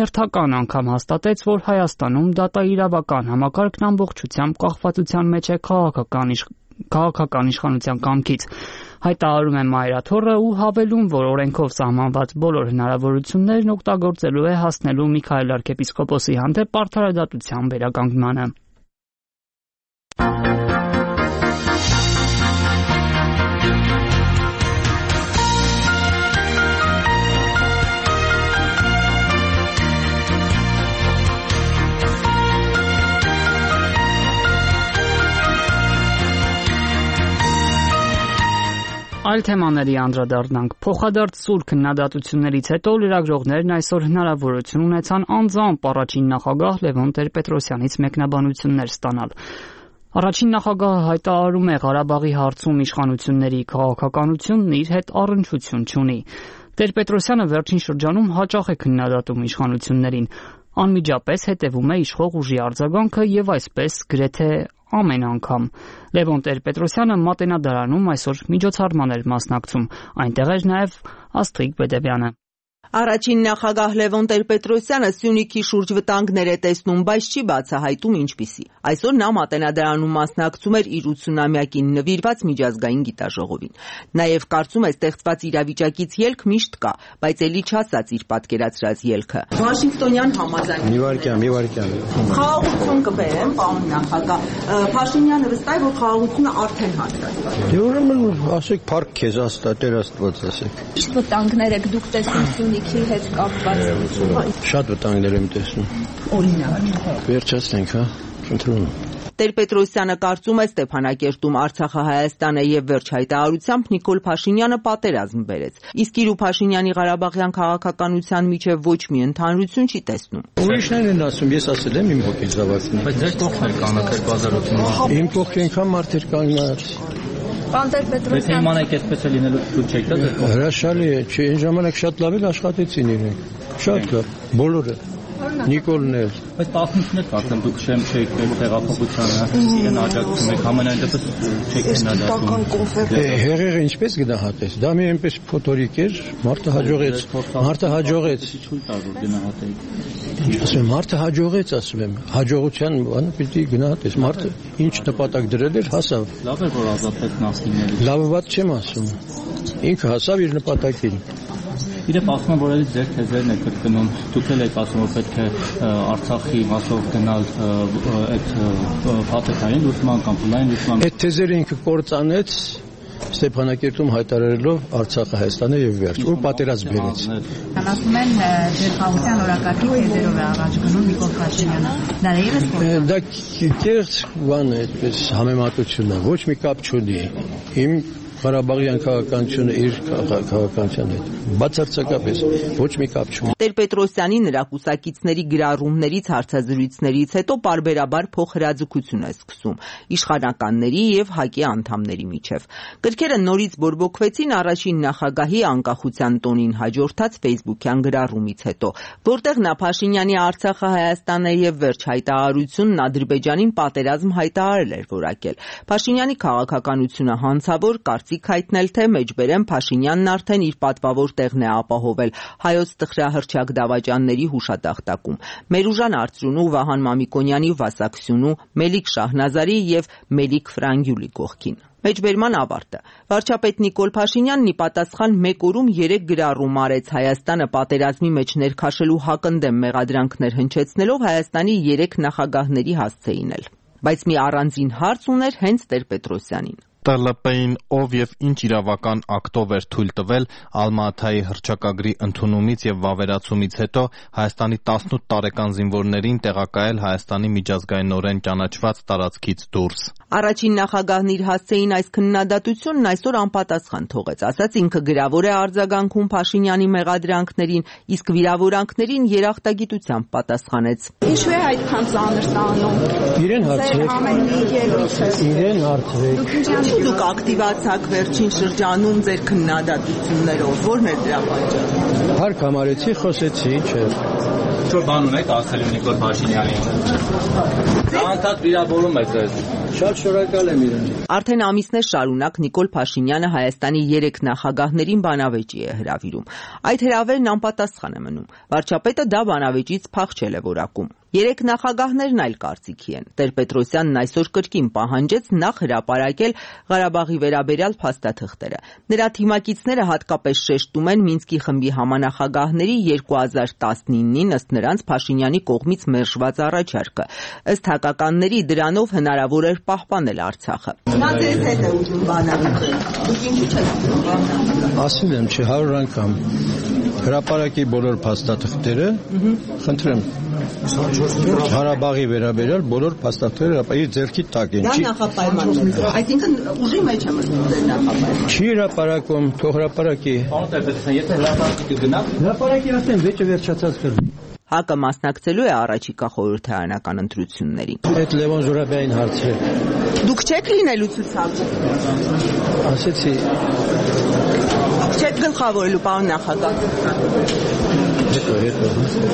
S1: հերթական անգամ հաստատեց, որ Հայաստանում դատաիրավական համակարգն ամբողջությամբ կախվածության մեջ է քաղաքական քաղաքական իշխանության կամքից։ Հայտարարում է Մայրաթորը ու հավելում, որ օրենքով սահմանված բոլոր հնարավորություններն օգտագործելու է հասնելու Միքայել arczepiskoposի հանդեպ արդարադատության վերականգնմանը։ Այլ թեմաների անդրադառնանք։ Փոխադարձ սուր քննադատություններից հետո լրագրողներն այսօր հնարավորություն ունեցան անձամբ առաջին նախագահ Լևոն Տեր-Պետրոսյանից մեկնաբանություններ ստանալ։ Առաջին նախագահը հայտարարում է Ղարաբաղի հարցում իշխանությունների քաղաքականությունն իր հետ առնչություն չունի։ Տեր-Պետրոսյանը վերջին շրջանում հաճախ է քննադատում իշխանություններին, անմիջապես հետևում է իշխող ուժի արձագանքը եւ այսպես գրեթե ամեն անգամ։ Լևոն Տեր-Պետրոսյանը Մատենադարանում այսօր միջոցառման էր մասնակցում, այնտեղ էր նաև Աստղիկ Բեդևյանը։
S8: Առաջին նախագահ Լևոն Տեր-Պետրոսյանը Սյունիքի շուրջ վտանգներ է տեսնում, բայց չի բացահայտում ինչպիսի։ Այսօր նա Մատենադարանում մասնակցում էր իր ութսունամյակին նվիրված միջազգային գիտաժողովին։ Նաև կարծում է ստեղծված իրավիճակից ելք միշտ կա, բայց ելի չասած իր պատկերացրած ելքը։ Վաշինգտոնյան համաձայն։
S2: Մի վարքյան, մի վարքյան։
S8: Խաղաղություն կբերեմ, պարոն նախագահ։ Փաշինյանը վստահ է, որ խաղաղությունը արդեն հաստատված է։
S2: Ուրեմն ասեք փառք քեզ աստա, Տեր Աստված ասեք։
S21: Իսկ վտանգներ եք դուք տեսնում Սյունիքի հետ կապված։
S2: Շատ վտանգներ եմ տեսնում։
S21: Օրինակ։
S2: Վերջացնենք, հա, խնդրում եմ։
S8: Տեր-Պետրոսյանը կարծում է Ստեփանակերտում Արցախը Հայաստան է եւ վերջ հայտարարությամբ Նիկոլ Փաշինյանը պատերազմ բերեց։ Իսկ իր ու Փաշինյանի Ղարաբաղյան քաղաքականության միջև ոչ մի ընդհանրություն չի տեսնում։
S2: Ուրիշներն են ասում, ես ասել եմ իմ հոգի զավակին։ Բայց ձեր կողքն եք անակեր բազարությունը։ Իմ կողքն անգամ մարդեր կանգնած։
S21: Պարոն Տեր-Պետրոսյան։
S11: Եթե իմանեք այսպես է լինելու ցույց չեք տա ձեր կողքն։
S2: Հրաշալի է, չէ, այն ժամանակ շատ լավ էլ աշխատեցին իրենք։ Շատ լավ, բոլորը։ Նիկոլն էլ։
S11: Բայց տասնութն եք արդեն դուք շեմ չեք տեղափոխությանը, իրեն աջակցում եք, ամենայն դեպս չեք քննադատում։
S2: Հեղեղը ինչպես գնահատես։ Դա մի այնպես փոթորիկ էր, մարդը հաջողեց, մարդը հաջողեց։ Ասում եմ, մարդը հաջողեց, ասում եմ, հաջողության բանը պիտի գնահատես։ Մարդը ինչ նպատակ դրել էր, հասավ։
S11: Լավ է, որ ազատվեց Նասիմյանից։
S2: Լավը վատ չեմ ասում։ Ինքը հասավ իր նպատակին։
S11: Իրեւ ասում եմ, որ այդ ձեր թեզերն եք կրկնում։ Դուք էլ եք ասում, որ պետք է Արցախի մասով գնալ այդ փաթեթային լուսման կամ փուլային լուսման։
S2: Այդ թեզերը ինքը կործանեց Ստեփանակերտում հայտարարելով Արցախը Հայաստան է եւ վերջ, ու պատերազմ բերեց։
S21: Ասում են ձեր խաղաղության օրակարգի թեզերով է առաջ գնում Նիկոլ Փաշինյանը։ Դա եւս կողմ։
S2: Դա կերտ բան է, այդպես համեմատություն է, ոչ մի կապ չունի։ Իմ Ղարաբաղյան քաղաքականությունը իր քաղաքականության հետ բացարձակապես ոչ մի կապ չունի։
S8: Տեր-Պետրոսյանի նրա կուսակիցների գրառումներից հարցազրույցներից հետո պարբերաբար փոխհրաձգություն է սկսում իշխանականների եւ ՀԱԿ-ի անդամների միջև։ Գրքերը նորից բորբոքվեցին առաջին նախագահի անկախության տոնին հաջորդած ֆեյսբուքյան գրառումից հետո, որտեղ նա Փաշինյանի Արցախը Հայաստան է եւ վերջ հայտարարությունն Ադրբեջանին պատերազմ հայտարարել էր որակել։ Փաշինյանի քաղաքականությունը հանցավոր կարծիք հայտնել, թե մեջբերեմ Փաշինյանն արդեն իր պատվավոր տեղն է ապահովել հայոց տխրահռչակ դավաճանների հուշատախտակում։ Մերուժան Արծրունու, Վահան Մամիկոնյանի, Վասակ Սյունու, Մելիք Շահնազարի եւ Մելիք Ֆրանգյուլի կողքին։ Մեջբերման ավարտը։ Վարչապետ Նիկոլ Փաշինյանն ի պատասխան մեկ օրում երեք գրառում արեց Հայաստանը պատերազմի մեջ ներքաշելու հակընդդեմ մեղադրանքներ հնչեցնելով Հայաստանի երեք նախագահների հասցեին էլ։ Բայց մի առանձին հարց ուներ հենց Տեր-Պետրոսյանին։
S3: Տե Էլ Պի-ին ով եւ ինչ իրավական ակտով էր թույլ տվել Ալմա-Աթայի հռչակագրի ընդունումից եւ վավերացումից հետո Հայաստանի տասնութ տարեկան զինվորներին տեղակայել Հայաստանի միջազգայինորեն ճանաչված տարածքից դուրս։
S8: Առաջին նախագահն իր հասցեին այս քննադատությունն այսօր անպատասխան թողեց, ասաց ինքը գրավոր է արձագանքում Փաշինյանի մեղադրանքներին, իսկ վիրավորանքներին երախտագիտությամբ պատասխանեց։
S12: Ինչու է այդքան ծանր տանում։
S2: Իրեն հարցրեք։ Իրեն հարցրեք։
S8: Դուք ակտիվացաք վերջին շրջանում ձեր քննադատություններով, ո՞րն է դրա պատճառը։
S2: Հարկ համարեցի, խոսեցի, չէ։
S11: Ինչ-որ բան ունեք ասելու Նիկոլ Փաշինյանին։ Անդադ վիրավորում է ձեզ։
S2: Շատ շնորհակալ եմ իրեն։
S8: Արդեն ամիսներ շարունակ Նիկոլ Փաշինյանը Հայաստանի երեք նախագահներին բանավեճի է հրավիրում։ Այդ հրավերն անպատասխան է մնում։ Վարչապետը դա բանավեճից փախչել է որակում։ Երեք նախագահներն այլ կարծիքի են։ Տեր-Պետրոսյանն այսօր կրկին պահանջեց նախ հրապարակել Ղարաբաղի վերաբերյալ փաստաթղթերը։ Նրա թիմակիցները հատկապես շեշտում են Մինսկի խմբի համանախագահների երկու հազար տասնինին ըստ նրանց Փաշինյանի կողմից մերժված առաջարկը։ Ըստ հակականների դրանով հնարավոր էր պահպանել Արցախը։ Նա ձեզ հետ է ուզում բանավեճել։ Դուք ինչու չեք ուզում բանավեճել։
S2: Ասել եմ, չէ, հարյուր անգամ հրապարակի բոլոր փաստաթղթերը, խնդրեմ։ Ղարաբաղի վերաբերյալ բոլոր փաստաթղթերը հրապարակի ձեռքի տակ են։
S8: Դա նախապայման է։ Այսինքն ուժի մեջ է մտնում նախապայման։
S2: Չի հրապարակում, թող հրապարակի։
S11: Պարոն Տեր-Պետրոսյան, եթե հրապարակի կգնաք,
S2: հրապարակի ասեմ, վեճը վերջացած կլինի։
S8: ՀԱԿ-ը մասնակցելու է առաջիկա խորհրդարանական ընտրություններին։
S2: Այդ Լևոն Զուրաբյանին հարցրեք։
S8: Դուք չեք լինելու ցուցակում։
S2: Ասեցի։
S8: Չեք գլխավորելու, պարոն նախագահ։
S2: Հետո, հետո։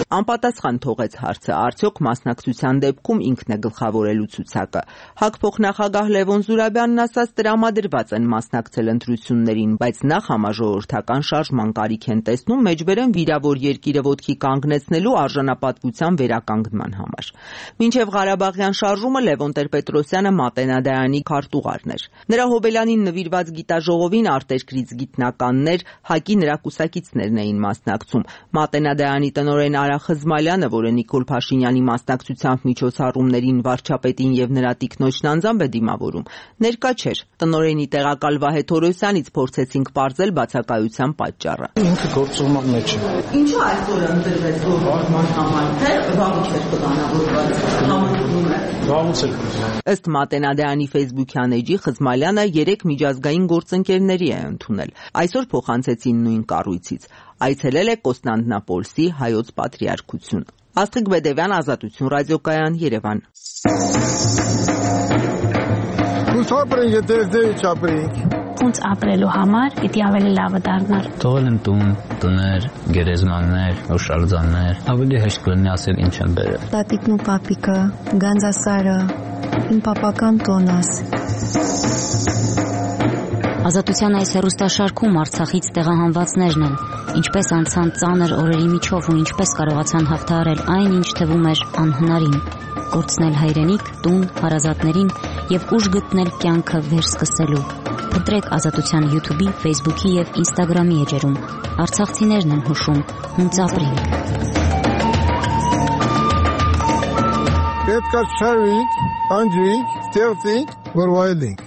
S8: Անպատասխան թողեց հարցը, արդյոք մասնակցության դեպքում ինքն է գլխավորելու ցուցակը։ ՀԱԿ փոխնախագահ Լևոն Զուրաբյանն ասաց տրամադրված են մասնակցել ընտրություններին, բայց նախ համաժողովրդական շարժման կարիք են տեսնում մեջբերեն վիրավոր երկիրը ոտքի կանգնեցնելու արժանապատվության վերականգնման համար։ Մինչև Ղարաբաղյան շարժումը Լևոն Տեր-Պետրոսյանը Մատենադարանի քարտուղարն էր։ Նրա հոբելյանին նվիրված գիտաժողովին արտերկրից գիտնականներ, ՀԱԿ-ի նրա կուսակիցներն էին մասնակցում։ Մատենադարանի տնօրեն Արա Խզմալյանը, որը Նիկոլ Փաշինյանի մասնակցությամբ միջոցառումներին վարչապետին եւ նրա տիկնոջն անձամբ է դիմավորում, ներկա չէր։ Տնօրենի տեղակալ Վահե Թորոսյանից փորձեցինք պարզել բացակայության պատճառը։
S23: Ինքը գործողման մեջ է։
S8: Ինչու այսօր ընտրվեց գործման համար, թե վաղուց էր պլանավորված համընկնում է։
S23: Վաղուց է։
S8: Ըստ Մատենադարանի Facebook-յան էջի Խզմալյանը երեք միջազգային գործընկերների է ընդունել։ Այսօր փոխանցեցին նույն կառույցից։ Այցելել է Կոստանդնապոլսի հայոց պատրիարքություն։ Աստղիկ Բեդևյան, Ազատություն ռադիոկայան, Երևան։
S17: Ոնց ապրենք, եթե դե չապրենք։
S24: Ոնց ապրելու համար պիտի ավելի լավը դառնար։
S25: Թողել եմ տուն, տներ, գերեզմաններ, հուշարձաններ, ավելի հեշտ կլինի ասել ինչ եմ բերել։
S21: Տատիկն ու պապիկը, Գանձասարը, իմ պապական տոնս։
S14: Ազատության այս հեռուստաշարքում Արցախից տեղահանվածներն են, ինչպես անցան ծանր օրերի միջով ու ինչպես կարողացան հաղթահարել այն, ինչ թվում էր անհնարին, կորցնել հայրենիք, տուն, հարազատներին եւ ուժ գտնել կյանքը վերսկսելու։ Փնտրեք Ազատության YouTube-ի, Facebook-ի եւ Instagram-ի էջերում։ Արցախցիներն են հուշում, ոնց ապրենք։
S17: Պետք է շարվենք, անջինք, ստեղծենք, որ վայելենք։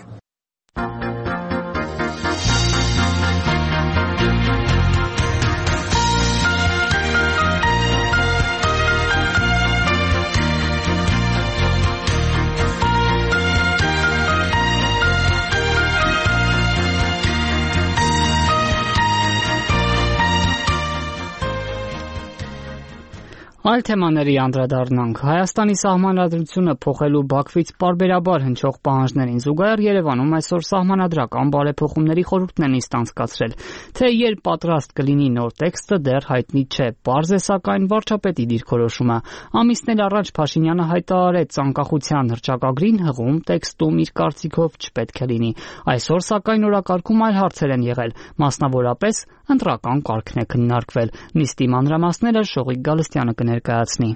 S1: Այլ թեմաների անդրադառնանք։ Հայաստանի սահմանադրությունը փոխելու Բաքվից պարբերաբար հնչող պահանջներին զուգահեռ Երևանում այսօր սահմանադրական բարեփոխումների խորհուրդն են նիստ անցկացրել։ Թե երբ պատրաստ կլինի նոր տեքստը դեռ հայտնի չէ։ Պարզ է սակայն վարչապետի դիրքորոշումը։ Ամիսներ առաջ Փաշինյանը հայտարարեց անկախության հռչակագրին հղում տեքստում իր կարծիքով չպետք է լինի։ Այսօր սակայն օրակարգում այլ հարցեր են եղել, մասնավորապես ընտրական կարգն է քննարկվել։ Նիստի մանրամասները Շողիկ Գալստյանը կներկայացնի։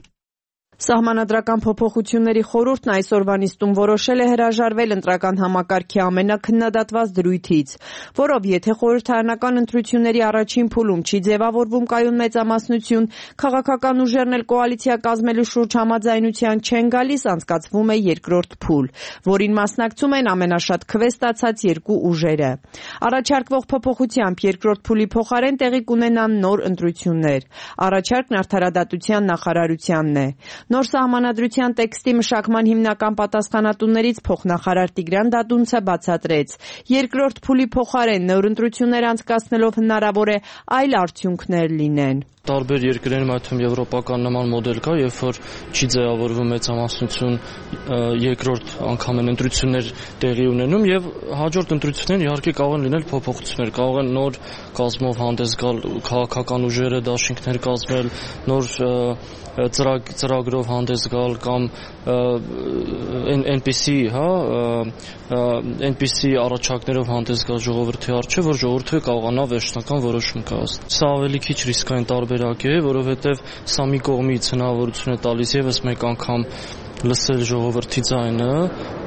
S16: Սահմանադրական փոփոխությունների խորհուրդն այսօրվա նիստում որոշել է հրաժարվել ընտրական համակարգի ամենաքննադատված դրույթից, որով եթե խորհրդարանական ընտրությունների առաջին փուլում չի ձևավորվում կայուն մեծամասնություն, քաղաքական ուժերն էլ կոալիցիա կազմելու շուրջ համաձայնության չեն գալիս, անցկացվում է երկրորդ փուլ, որին մասնակցում են ամենաշատ քվե ստացած երկու ուժերը։ Առաջարկվող փոփոխությամբ երկրորդ փուլի փոխարեն տեղի կունենան նոր ընտրություններ։ Առաջարկն արդարադատության նախարարությանն է։ Նոր սահմանադրության տեքստի մշակման հիմնական պատասխանատուներից փոխնախարար Տիգրան Դադունցը բացատրեց. երկրորդ փուլի փոխարեն նոր ընտրություններ անցկացնելով հնարավոր է այլ արդյունքներ լինեն։
S18: Տարբեր երկրներում, այդ թվում եվրոպական նման մոդել կա, երբ որ չի ձևավորվում մեծամասնություն, երկրորդ անգամ են ընտրություններ տեղի ունենում եւ հաջորդ ընտրություններն իհարկե կարող են լինել փոփոխություններ, կարող են նոր կազմով հանդես գալ քաղաքական ուժերը, դաշինքներ կազմել, նոր ծրագ, ծրագրով հանդես գալ կամ այնպիսի, հա, այնպիսի առաջարկներով հանդես գալ ժողովրդի առջև, որ ժողովուրդը կարողանա վերջնական որոշում կայացնել։ Սա ավելի քիչ ռիսկային տարբերակ է, որովհետև սա մի կողմից հնարավորություն է տալիս եւս մեկ անգամ լսել ժողովրդի ձայնը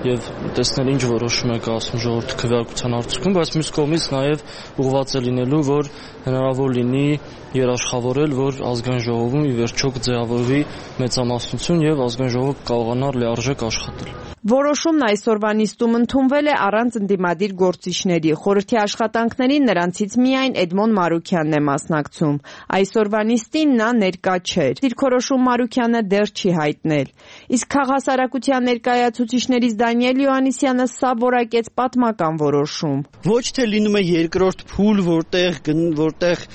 S18: եւ տեսնել ինչ որոշում է կայացնում ժողովրդի քվեարկության արդյունքում, բայց մյուս կողմից նաեւ ուղղված է լինելու, որ հնարավոր լինի երաշխավորել, որ ազգային ժողովում ի վերջո կձևավորվի մեծամասնություն եւ ազգային ժողովը կարողանա լիարժեք աշխատել։
S16: Որոշումն այսօրվա նիստում ընդունվել է առանց ընդդիմադիր գործիչների։ Խորհրդի աշխատանքներին նրանցից միայն Էդմոն Մարուքյանն է մասնակցում։ Այսօրվա նիստին նա ներկա չէր։ Դիրքորոշում Մարուքյանը դեռ չի հայտնել։ Իսկ քաղաքասարակության ներկայացուցիչներից Դանիել Յոհաննիսյանը սա որակեց պատմական որոշում։
S19: Ոչ թե լինում է երկրորդ փուլ, որտեղ որտեղ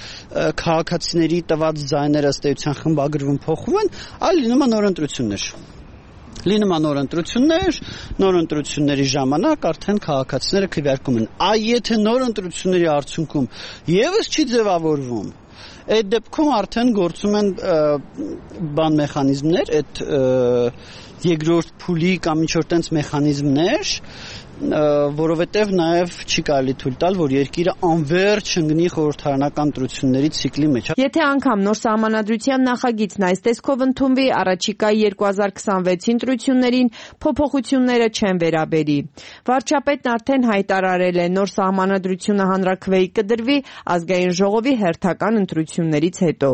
S19: քաղաքացիների տված ձայները ըստ էության խմբագրվում փոխվում են, այլ լինում է նոր ընտրություններ։ Լինում է նոր ընտրություններ, նոր ընտրությունների ժամանակ արդեն քաղաքացիները քվեարկում են։ Այ եթե նոր ընտրությունների արդյունքում եւս չի ձևավորվում, այդ դեպքում արդեն գործում են բան մեխանիզմներ, այդ երկրորդ փուլի կամ ինչ-որ տենց մեխանիզմներ, որովհետև նաև չի կարելի թույլ տալ, որ երկիրը անվերջ ընկնի խորհրդարանական ընտրությունների ցիկլի մեջ։
S16: Եթե անգամ նոր սահմանադրության նախագիծն այս տեսքով ընդունվի, առաջիկա երկու հազար քսանվեցի ընտրություններին փոփոխությունները չեն վերաբերի։ Վարչապետն արդեն հայտարարել է, նոր սահմանադրությունը հանրաքվեի կդրվի ազգային ժողովի հերթական ընտրություններից հետո։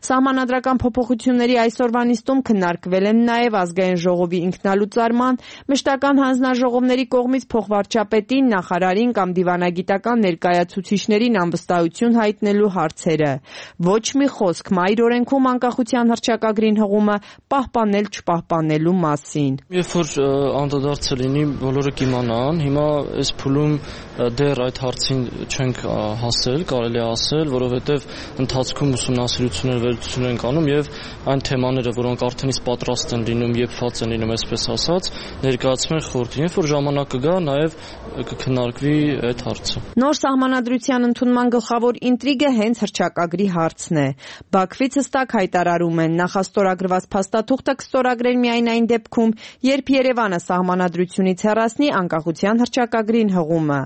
S16: Սահմանադրական փոփոխությունների այսօրվա նիստում քննարկվել են նաև ազգային ժողովի ինքնալուծարման, մշտական հանձնաժողովների կողմից փոխվարչապետին, նախարարին կամ դիվանագիտական ներկայացուցիչներին անվստահություն հայտնելու հարցերը։ Ոչ մի խոսք մայր օրենքում անկախության հռչակագրին հղումը պահպանել չպահպանելու մասին։
S18: Երբ որ անդրադարձը լինի, բոլորը կիմանան, հիմա այս փուլում դեռ այդ հարցին չենք հասել, կարելի է ասել, որովհետև ընթացքում ուսումնասիրություններ վերլուծություններ են կանում եւ այն թեմաները, որոնք արդեն իսկ պատրաստ են լինում, եփված են լինում, այսպես ասած, ներկայացում են խորհրդին, երբ որ ժամանակը գա, նաև կքննարկվի այդ հարցը։
S16: Նոր սահմանադրության ընդունման գլխավոր ինտրիգը հենց հռչակագրի հարցն է։ Բաքվից հստակ հայտարարում են, նախաստորագրված փաստաթուղթը կստորագրեն միայն այն դեպքում, երբ Երևանը սահմանադրությունից հեռացնի անկախության հռչակագրին հղումը։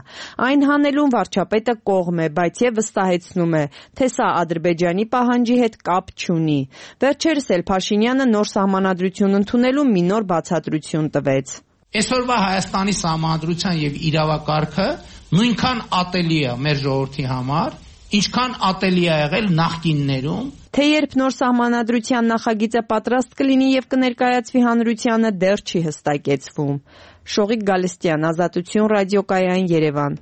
S16: Այն հանելուն վարչապետը կողմ է, բայց եւ վստահեցնում է, թե սա Ադրբեջանի պահանջի հետ կապ չունի։ Վերջերս էլ Փաշինյանը նոր սահմանադրություն ընդունելու մի նոր բացատրություն տվեց։
S20: Այսօրվա Հայաստանի սահմանադրության եւ իրավակարգը նույնքան ատելի է մեր ժողովրդի համար, ինչքան ատելի է եղել նախկիններում։
S16: Թե երբ նոր սահմանադրության նախագիծը պատրաստ կլինի եւ կներկայացվի հանրությանը, դեռ չի հստակեցվում։ Շողիկ Գալստյան, Ազատություն ռադիոկայան, Երևան։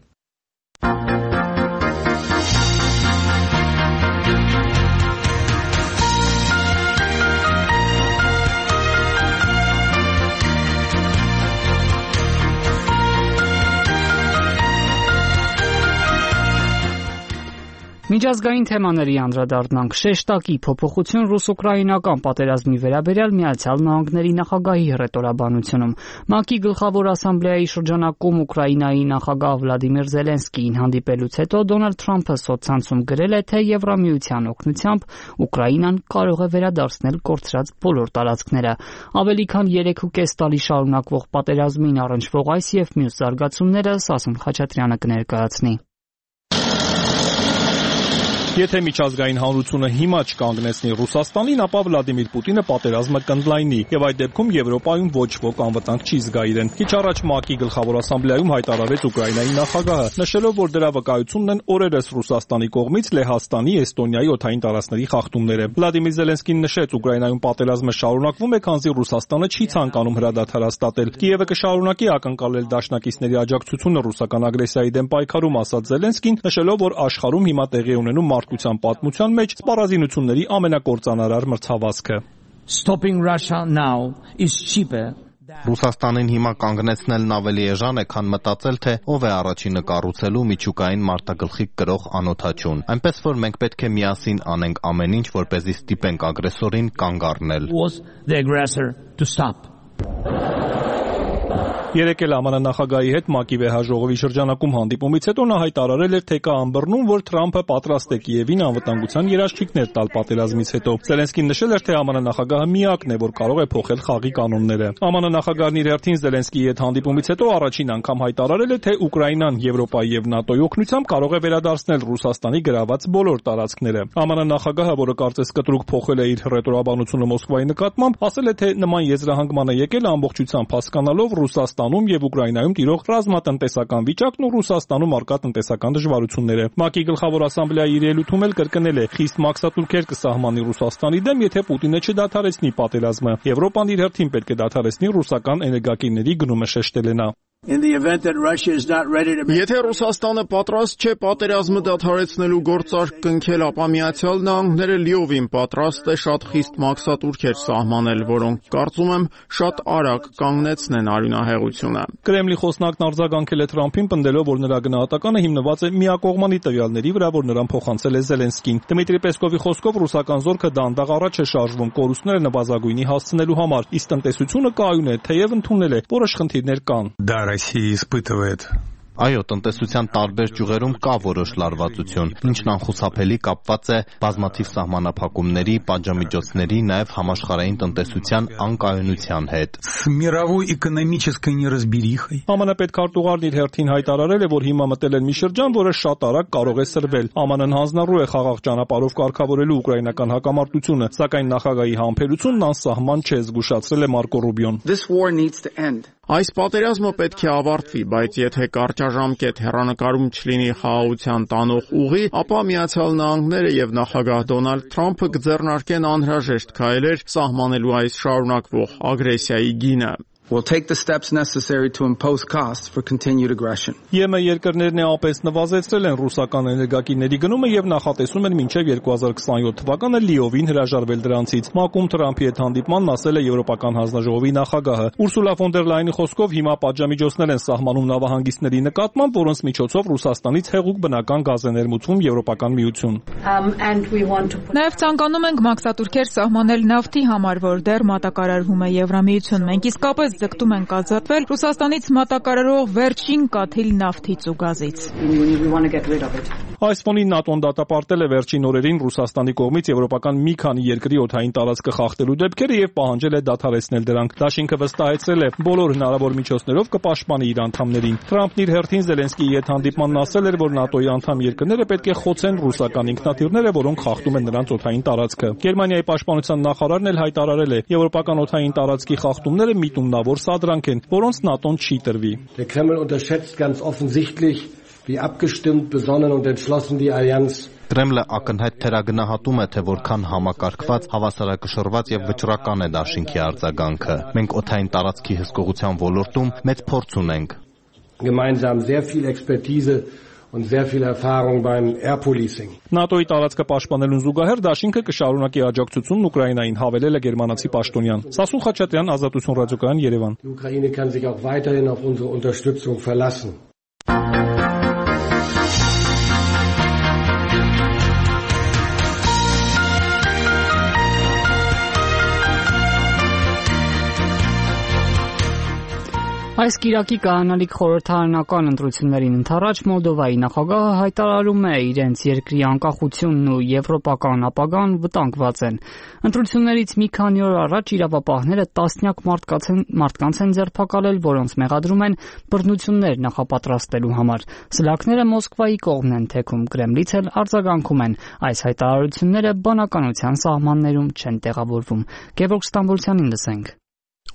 S1: Միջազգային թեմաների անդրադառնանք։ Շեշտակի փոփոխություն ռուս-ուկրաինական պատերազմի վերաբերյալ Միացյալ Նահանգների նախագահի հռետորաբանությունում։ ՄԱԿ-ի գլխավոր ասամբլեայի շրջանակում Ուկրաինայի նախագահ Վլադիմիր Զելենսկիին հանդիպելուց հետո Դոնալդ Թրամփը սոցցանցում գրել է, թե Եվրամիության օգնությամբ Ուկրաինան կարող է վերադարձնել կորցրած բոլոր տարածքները։ Ավելի քան երեք ու կես տարի շարունակվող պատերազմին առնչվող այս եւ մյուս զարգացումները Սասուն Խաչատրյանը կներկայացնի։
S15: Եթե միջազգային հանրությունը հիմա չկանգնեցնի Ռուսաստանին, ապա Վլադիմիր Պուտինը պատերազմը կընդլայնի, եւ այդ դեպքում Եվրոպայում ոչ ոք անվտանգ չի զգա իրեն։ Քիչ առաջ ՄԱԿ-ի գլխավոր ասամբլեայում հայտարարեց Ուկրաինայի նախագահը, նշելով, որ դրա վկայությունն են օրերս Ռուսաստանի կողմից Լեհաստանի, Էստոնիայի օդային տարածքների խախտումները։ Վլադիմիր Զելենսկին նշեց, Ուկրաինայում պատերազմը շարունակվում է, քանզի Ռուսաստանը չի ցանկանում հրադադար հաստատել։ Կիևը կշարունակի ակնկալել դաշնակիցների աջակցությունը ռուսական ագրեսիայի դեմ պայքարում, ասաց Զելենսկին, նշելով, որ աշխարհում հիմա տեղի ունենում մարդկության պատմության մեջ սպառազինությունների ամենակործանարար մրցավազքը։
S4: Stopping Russia now is cheaper.
S3: Ռուսաստանին հիմա կանգնեցնելն ավելի էժան է, քան մտածել, թե ով է առաջինը կառուցելու միջուկային մարտագլխիկ կրող անօդաչուն։ Այնպես որ մենք պետք է միասին անենք ամեն ինչ, որպեսզի ստիպենք ագրեսորին կանգ առնել։
S15: Երեկ էլ ԱՄՆ նախագահի հետ ՄԱԿ-ի վեհաժողովի շրջանակում հանդիպումից հետո նա հայտարարել էր, թե կա ըմբռնում, որ Թրամփը պատրաստ է Կիևին անվտանգության երաշխիքներ տալ պատերազմից հետո։ Զելենսկին նշել էր, թե ԱՄՆ նախագահը միակն է, որ կարող է փոխել խաղի կանոնները։ ԱՄՆ նախագահն իր հերթին Զելենսկիի հետ հանդիպումից հետո առաջին անգամ հայտարարել է, թե Ուկրաինան Եվրոպայի եւ ՆԱՏՕ-ի օգնությամբ կարող է վերադարձնել Ռուսաստանի գրաված բոլոր տարածքները։ ԱՄՆ նախագահը, որը կարծես կտրուկ փոխել է իր ռետորաբանությունը Մոսկվայի նկատմամբ, ասել է, թե նման եզրահանգման է եկել ամբողջությամբ հասկանալով Ռուսաստանում եւ Ուկրաինայում տիրող ռազմատնտեսական վիճակն ու Ռուսաստանում առկա տնտեսական դժվարությունները։ ՄԱԿ-ի գլխավոր ասամբլեայի իր ելույթում էլ կրկնել է, խիստ մաքսատուրքեր կսահմանի Ռուսաստանի դեմ, եթե Պուտինը չդադարեցնի պատերազմը։ Եվրոպան իր հերթին պետք է դադարեցնի ռուսական էներգակիրների գնումը, շեշտել է նա։
S5: Եթե Ռուսաստանը պատրաստ չէ պատերազմը դադարեցնելու գործարք կնքել, ապա Միացյալ Նահանգները լիովին պատրաստ է շատ խիստ մաքսատուրքեր սահմանել, որոնք կարծում եմ շատ արագ կանգնեցնեն արյունահեղությունը։
S15: Կրեմլի խոսնակն արձագանքել է Թրամփին, պնդելով, որ նրա գնահատականը հիմնված է միակողմանի տվյալների վրա, որ նրան փոխանցել է Զելենսկին։ Դմիտրի Պեսկովի խոսքով ռուսական զորքը դանդաղ առաջ է շարժվում կորուստները նվազագույնի հասցնելու համար, իսկ տնտեսությունը կայուն է, թեև ընդունել է, որոշ խնդիրներ կան։
S7: Россия испытывает.
S3: Այո, տնտեսության տարբեր ճյուղերում կա որոշ լարվածություն, ինչն անխուսափելի կապված է բազմաթիվ սահմանափակումների, պատժամիջոցների, նաև համաշխարհային տնտեսության անկայունության հետ։
S7: С мировой экономической неразберихой.
S15: ԱՄՆ պետքարտուղարն իր հերթին հայտարարել է, որ հիմա մտել են մի շրջան, որը շատ արագ կարող է սրվել։ ԱՄՆ-ն հանձնառու է խաղաղ ճանապարհով կարգավորելու ուկրաինական հակամարտությունը, սակայն նախագահի համբերությունն անսահման չէ, զգուշացրել է Մարկո Ռուբիոն։
S5: This war needs to end. Այս պատերազմը պետք է ավարտվի, բայց եթե կարճաժամկետ հեռանկարում չլինի խաղաղության տանող ուղի, ապա Միացյալ Նահանգները եւ նախագահ Դոնալդ Թրամփը կձեռնարկեն անհրաժեշտ քայլեր սահմանելու այս շարունակվող ագրեսիայի գինը։
S7: Will take the steps necessary to impose costs for continued aggression.
S15: ԵՄ երկրներն էապես նվազեցրել են ռուսական էներգակիրների գնումը եւ նախատեսում են մինչեւ երկու հազար քսանյոթ թվականը լիովին հրաժարվել դրանցից։ ՄԱԿ-ում Թրամփի հետ հանդիպմանն ասել է Եվրոպական հանձնաժողովի նախագահը։ Ուրսուլա ֆոն դեր Լայնի խոսքով հիմա պատժամիջոցներ են սահմանում նավահանգիստների նկատմամբ, որոնց միջոցով Ռուսաստանից հեղուկ բնական գազ է ներմուծվում Եվրոպական միություն։
S6: Նաեւ ցանկանում ենք մաքսատուրքեր սահմանել նավթի համար, որ դեռ մատակարարվում է Եվրամիություն։ Մենք իսկապես ձգտում ենք ազատվել Ռուսաստանից մատակարարող վերջին կաթիլ նավթից ու գազից։
S15: Այս ֆոնին ՆԱՏՕ-ն դատապարտել է վերջին օրերին Ռուսաստանի կողմից եվրոպական մի քանի երկրի օդային տարածքը խախտելու դեպքերը եւ պահանջել է դադարեցնել դրանք։ Դաշինքը վստահեցրել է, բոլոր հնարավոր միջոցներով կպաշտպանի իր անդամներին։ Թրամփն իր հերթին Զելենսկիի հետ հանդիպմանն ասել էր, որ ՆԱՏՕ-ի անդամ երկրները պետք է խոցեն ռուսական ինքնաթիռները, որոնք խախտում են նրանց օդային տարածքը։ Գերմանիայի պաշտպանության նախարարն էլ հայտարարել է, եվրոպական օդային տարածքի խախտումները միտումնավոր սադրանք են, որոնց ՆԱՏՕ-ն չի տրվի։
S13: Der Kreml unterschätzt ganz offensichtlich, wie abgestimmt, besonnen und entschlossen die Allianz
S3: Կրեմլը ակնհայտ թերագնահատում է, թե որքան համակարգված, հավասարակշռված եւ վճռական է դաշինքի արձագանքը։ Մենք օդային տարածքի հսկողության ոլորտում մեծ փորձ ունենք։
S13: Gemeinsam sehr viel Expertise und sehr viel Erfahrung beim Air Policing.
S15: ՆԱՏՕ-ի տարածքը պաշտպանելուն զուգահեռ դաշինքը կշարունակի աջակցությունն Ուկրաինային, հավելել է գերմանացի պաշտոնյան։ Սասուն Խաչատրյան, Ազատություն ռադիոկայան, Երևան։
S13: Die Ukraine kann sich auch weiterhin auf unsere Unterstützung verlassen.
S1: Այս կիրակի կայանալիք խորհրդարանական ընտրություններին ընդառաջ Մոլդովայի նախագահը հայտարարում է իրենց երկրի անկախությունն ու եվրոպական ապագան վտանգված են։ Ընտրություններից մի քանի օր առաջ իրավապահները տասնյակ մարդկանց են ձերբակալել, որոնց մեղադրում են բռնություններ նախապատրաստելու համար։ Սլաքները Մոսկվայի կողմն են թեքում, Կրեմլից էլ արձագանքում են։ Այս հայտարարությունները բանականության սահմաններում չեն տեղավորվում։ Գևորգ Ստամբոլցյանին լսենք։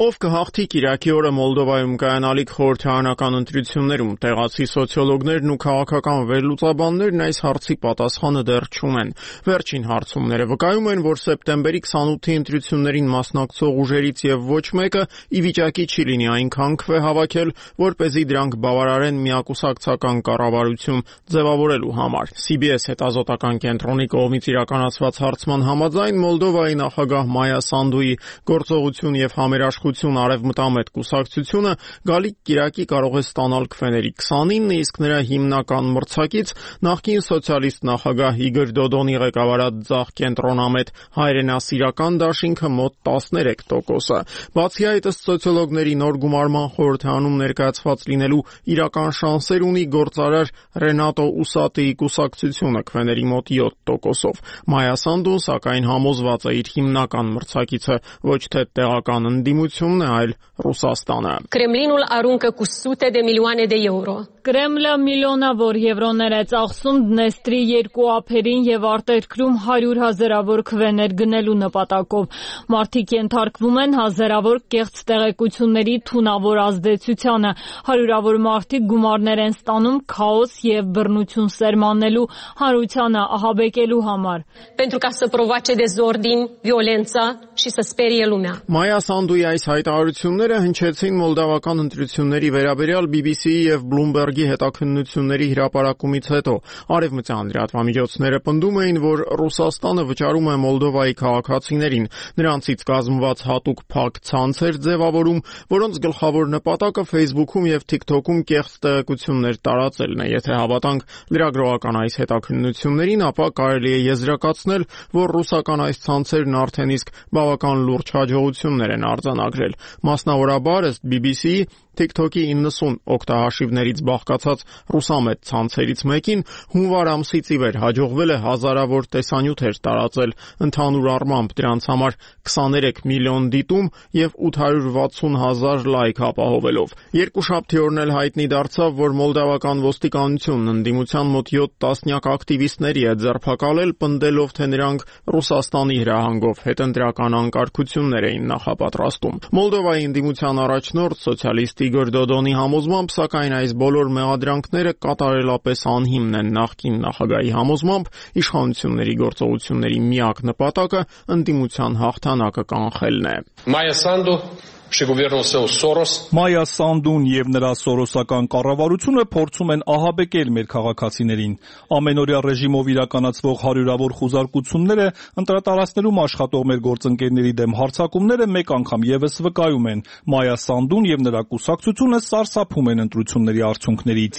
S5: Ով կհաղթի կիրակի օրը Մոլդովայում կայանալիք խորհրդարանական ընտրություններում, տեղացի սոցիոլոգներն ու քաղաքական վերլուծաբաններն այս հարցի պատասխանը դեռ չունեն։ Վերջին հարցումները վկայում են, որ սեպտեմբերի քսանութի ընտրություններին մասնակցող ուժերից եւ ոչ մեկը ի վիճակի չի լինի այնքան քվե հավաքել, որպեսզի դրանք բավարարեն միակուսակցական կառավարություն ձևավորելու համար։ Սի Բի Էս հետազոտական կենտրոնի կողմից իրականացված հարցման համաձայն Մոլդովայի նախագահ Մայա Սանդուի գործողություն եւ համերաշխ Արևմտամետ կուսակցությունը գալիք կիրակի կարող է ստանալ քվեների քսանինը, իսկ նրա հիմնական մրցակից նախկին սոցիալիստ նախագահ Իգոր Դոդոնի ղեկավարած ձախ կենտրոնամետ հայրենասիրական դաշինքը մոտ տասներեք տոկոսը։ Բացի այդ, ըստ սոցիոլոգների նոր գումարման խորհրդարանում ներկայացված լինելու իրական շանսեր ունի գործարար Ռենատո Ուսատիի կուսակցությունը քվեների մոտ յոթ տոկոսով։ Մայա Սանդուն սակայն համոզված է իր հիմնական մրցակիցը ոչ թե տեղական ընդդիմություն այլ Ռուսաստանը։
S9: Կրեմլինul aruncă cu sute de milioane de euro.
S10: Կրեմլը միլիոնավոր եվրոներ է ծախսում Դնեստրի երկու ափերին եւ արտերկրում հարյուր հազարավոր քվեներ գնելու նպատակով։ Մարդիկ ենթարկվում են հազարավոր կեղծ տեղեկությունների թունավոր ազդեցությանը։ Հարյուրավոր մարդիկ գումարներ են ստանում քաոս եւ բռնություն սերմանելու, հանրությանը ահաբեկելու համար։
S9: Pentru ca să provoace dezordin, violență și să sperie lumea.
S5: Մայա Սանդուի այս հայտարարությունները հնչեցին մոլդավական ընտրությունների վերաբերյալ Բի Բի Սի-ի եւ Bloomberg-ի հետաքննությունների հրապարակումից հետո։ Արևմտյան լրատվամիջոցները պնդում էին, որ Ռուսաստանը վճարում է Մոլդովայի քաղաքացիներին, նրանցից կազմված հատուկ փակ ցանցեր ձևավորում, որոնց գլխավոր նպատակը Facebook-ում եւ TikTok-ում կեղծ տեղեկություններ տարածելն է։ Եթե հավատանք լրագրողական այս հետաքննություններին, ապա կարելի է եզրակացնել, որ ռուսական այս ցանցերն արդեն իսկ բավական լուրջ հաջողություններ են արձանագրել։ Մասնավորաբար, ըստ Բի Բի Սի-ի, TikTok-ի իննսուն օգտահաշիվներից բաղկացած ռուսամետ ցանցերից մեկին հունվար ամսից ի վեր հաջողվել է հազարավոր տեսանյութեր տարածել, ընդհանուր առմամբ դրանց համար քսաներեք միլիոն դիտում եւ ութ հարյուր վաթսուն հազար լայք ապահովելով։ Երկուշաբթի օրն էլ հայտնի դարձավ, որ մոլդավական ոստիկանությունն ընդդիմության մոտ յոթ տասնյակ ակտիվիստների է ձերբակալել, պնդելով, թե նրանք Ռուսաստանի հրահանգով հետընտրական անկարգություններ էին նախապատրաստում։ Մոլդովայի ընդդիմության առաջնորդ սոցիալիստ Իգոր Դոդոնի համոզմամբ, սակայն այս բոլոր մեղադրանքները կատարելապես անհիմն են։ Նախկին նախագահի համոզմամբ իշխանությունների գործողությունների միակ նպատակը ընդդիմության հաղթանակը կանխելն է։
S11: Մայա Սանդու
S15: Մայա Սանդուն եւ նրա սորոսական կառավարությունը փորձում են ահաբեկել մեր քաղաքացիներին։ Ամենօրյա ռեժիմով իրականացվող հարյուրավոր խուզարկությունները, ընտրատարածքներում աշխատող մեր գործընկերների դեմ հարձակումները մեկ անգամ եւս վկայում են։ Մայա Սանդուն եւ նրա կուսակցությունը սարսափում են ընտրությունների արդյունքներից։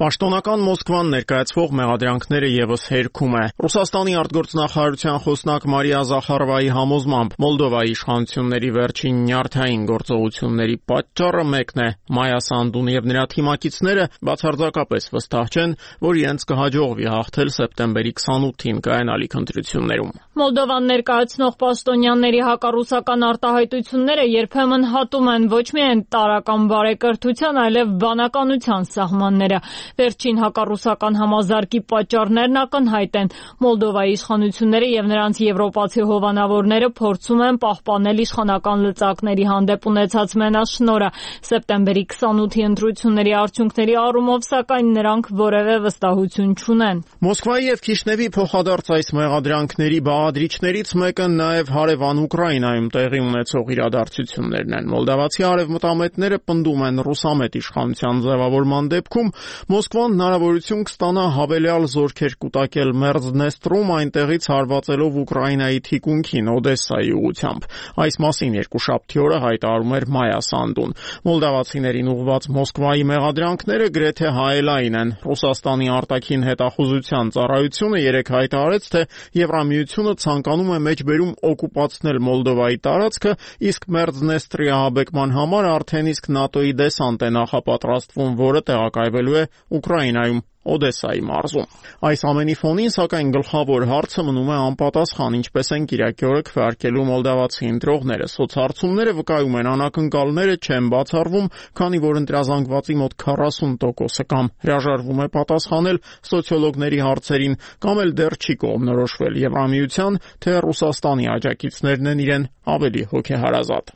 S15: Պաշտոնական Մոսկվան ներկայացվող մեղադրանքները եւս հերքում է։ Ռուսաստանի արտգործնախարարության խոսնակ Մարիա Զախարովայի համոզմամբ Մոլդովայի իշխանությունների վերջին նյարդային գործողությունների պատճառը մեկն է։ Մայա Սանդուն եւ նրա թիմակիցները բացարձակապես վստահ չեն, որ իրենց կհաջողվի հաղթել սեպտեմբերի քսանութին կայանալիք ընտրություններում։
S10: Մոլդովան ներկայացնող պաշտոնյաների հակառուսական արտահայտությունները երբեմն հատում են ոչ միայն տարրական բարեկրթության, այլև բանականության սահմանները։ Վերջին հակառուսական համազարկի պատճառներն ակնհայտ են։ Մոլդովայի իշխանությունները եւ նրանց եվրոպացի հովանավորները փորձում են պահպանել իշխանական լծակների հանդեպ ունեցած մենաշնորհը։ Սեպտեմբերի քսանութի ընտրությունների արդյունքների առումով, սակայն նրանք որևէ վստահություն չունեն։
S5: Մոսկվայի եւ Քիշնևի փոխադարձ այս մեղադրանքների բաղադրիչներից մեկը նաեւ հարևան Ուկրաինայում տեղի ունեցող իրադարձություններն են։ Մոլդավացի արևմտամետները պնդում են ռուսամետ իշխանության ձևավորման դեպքում Մոսկվան հնարավորություն կստանա հավելյալ զորքեր կուտակել Մերձդնեստրում, այնտեղից հարվածելով Ուկրաինայի թիկունքին Օդեսայի ուղղությամբ։ ուղղությամբ։ Այս մասին երկուշաբթի օրը հայտարարում էր Մայա Սանդուն։ Մոլդավացիներին ուղղված Մոսկվայի մեղադրանքները գրեթե հայելային են։ Ռուսաստանի արտաքին հետախուզության ծառայությունը երեկ հայտարարեց, թե Եվրամիությունը ցանկանում է մեջբերում օկուպացնել Մոլդովայի տարածքը, իսկ Մերձնեստրի ահաբեկման համար արդեն իսկ ՆԱՏՕ-ի դեսանտ է նախապատրաստվում, որը տեղակայվելու է Ուկրաինայում, Օդեսայի մարզում։ Այս ամենի ֆոնին, սակայն, գլխավոր հարցը մնում է անպատասխան, ինչպես են կիրակի օրը քվեարկելու մոլդավացի ընտրողները։ Սոցհարցումները վկայում են, անակնկալները չեն բացառվում, քանի որ ընտրազանգվածի մոտ քառասուն տոկոսը կամ հրաժարվում է պատասխանել սոցիոլոգների հարցերին, կամ էլ դեռ չի կողմնորոշվել Եվրամիության, թե Ռուսաստանի աջակիցներն են իրեն ավելի հոգեհարազատ։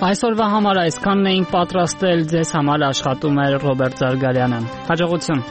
S1: Այսօրվա համար այսքանն էինք պատրաստել, ձեզ համար աշխատում էր Ռոբերտ Զարգարյանը։ Հաջողություն։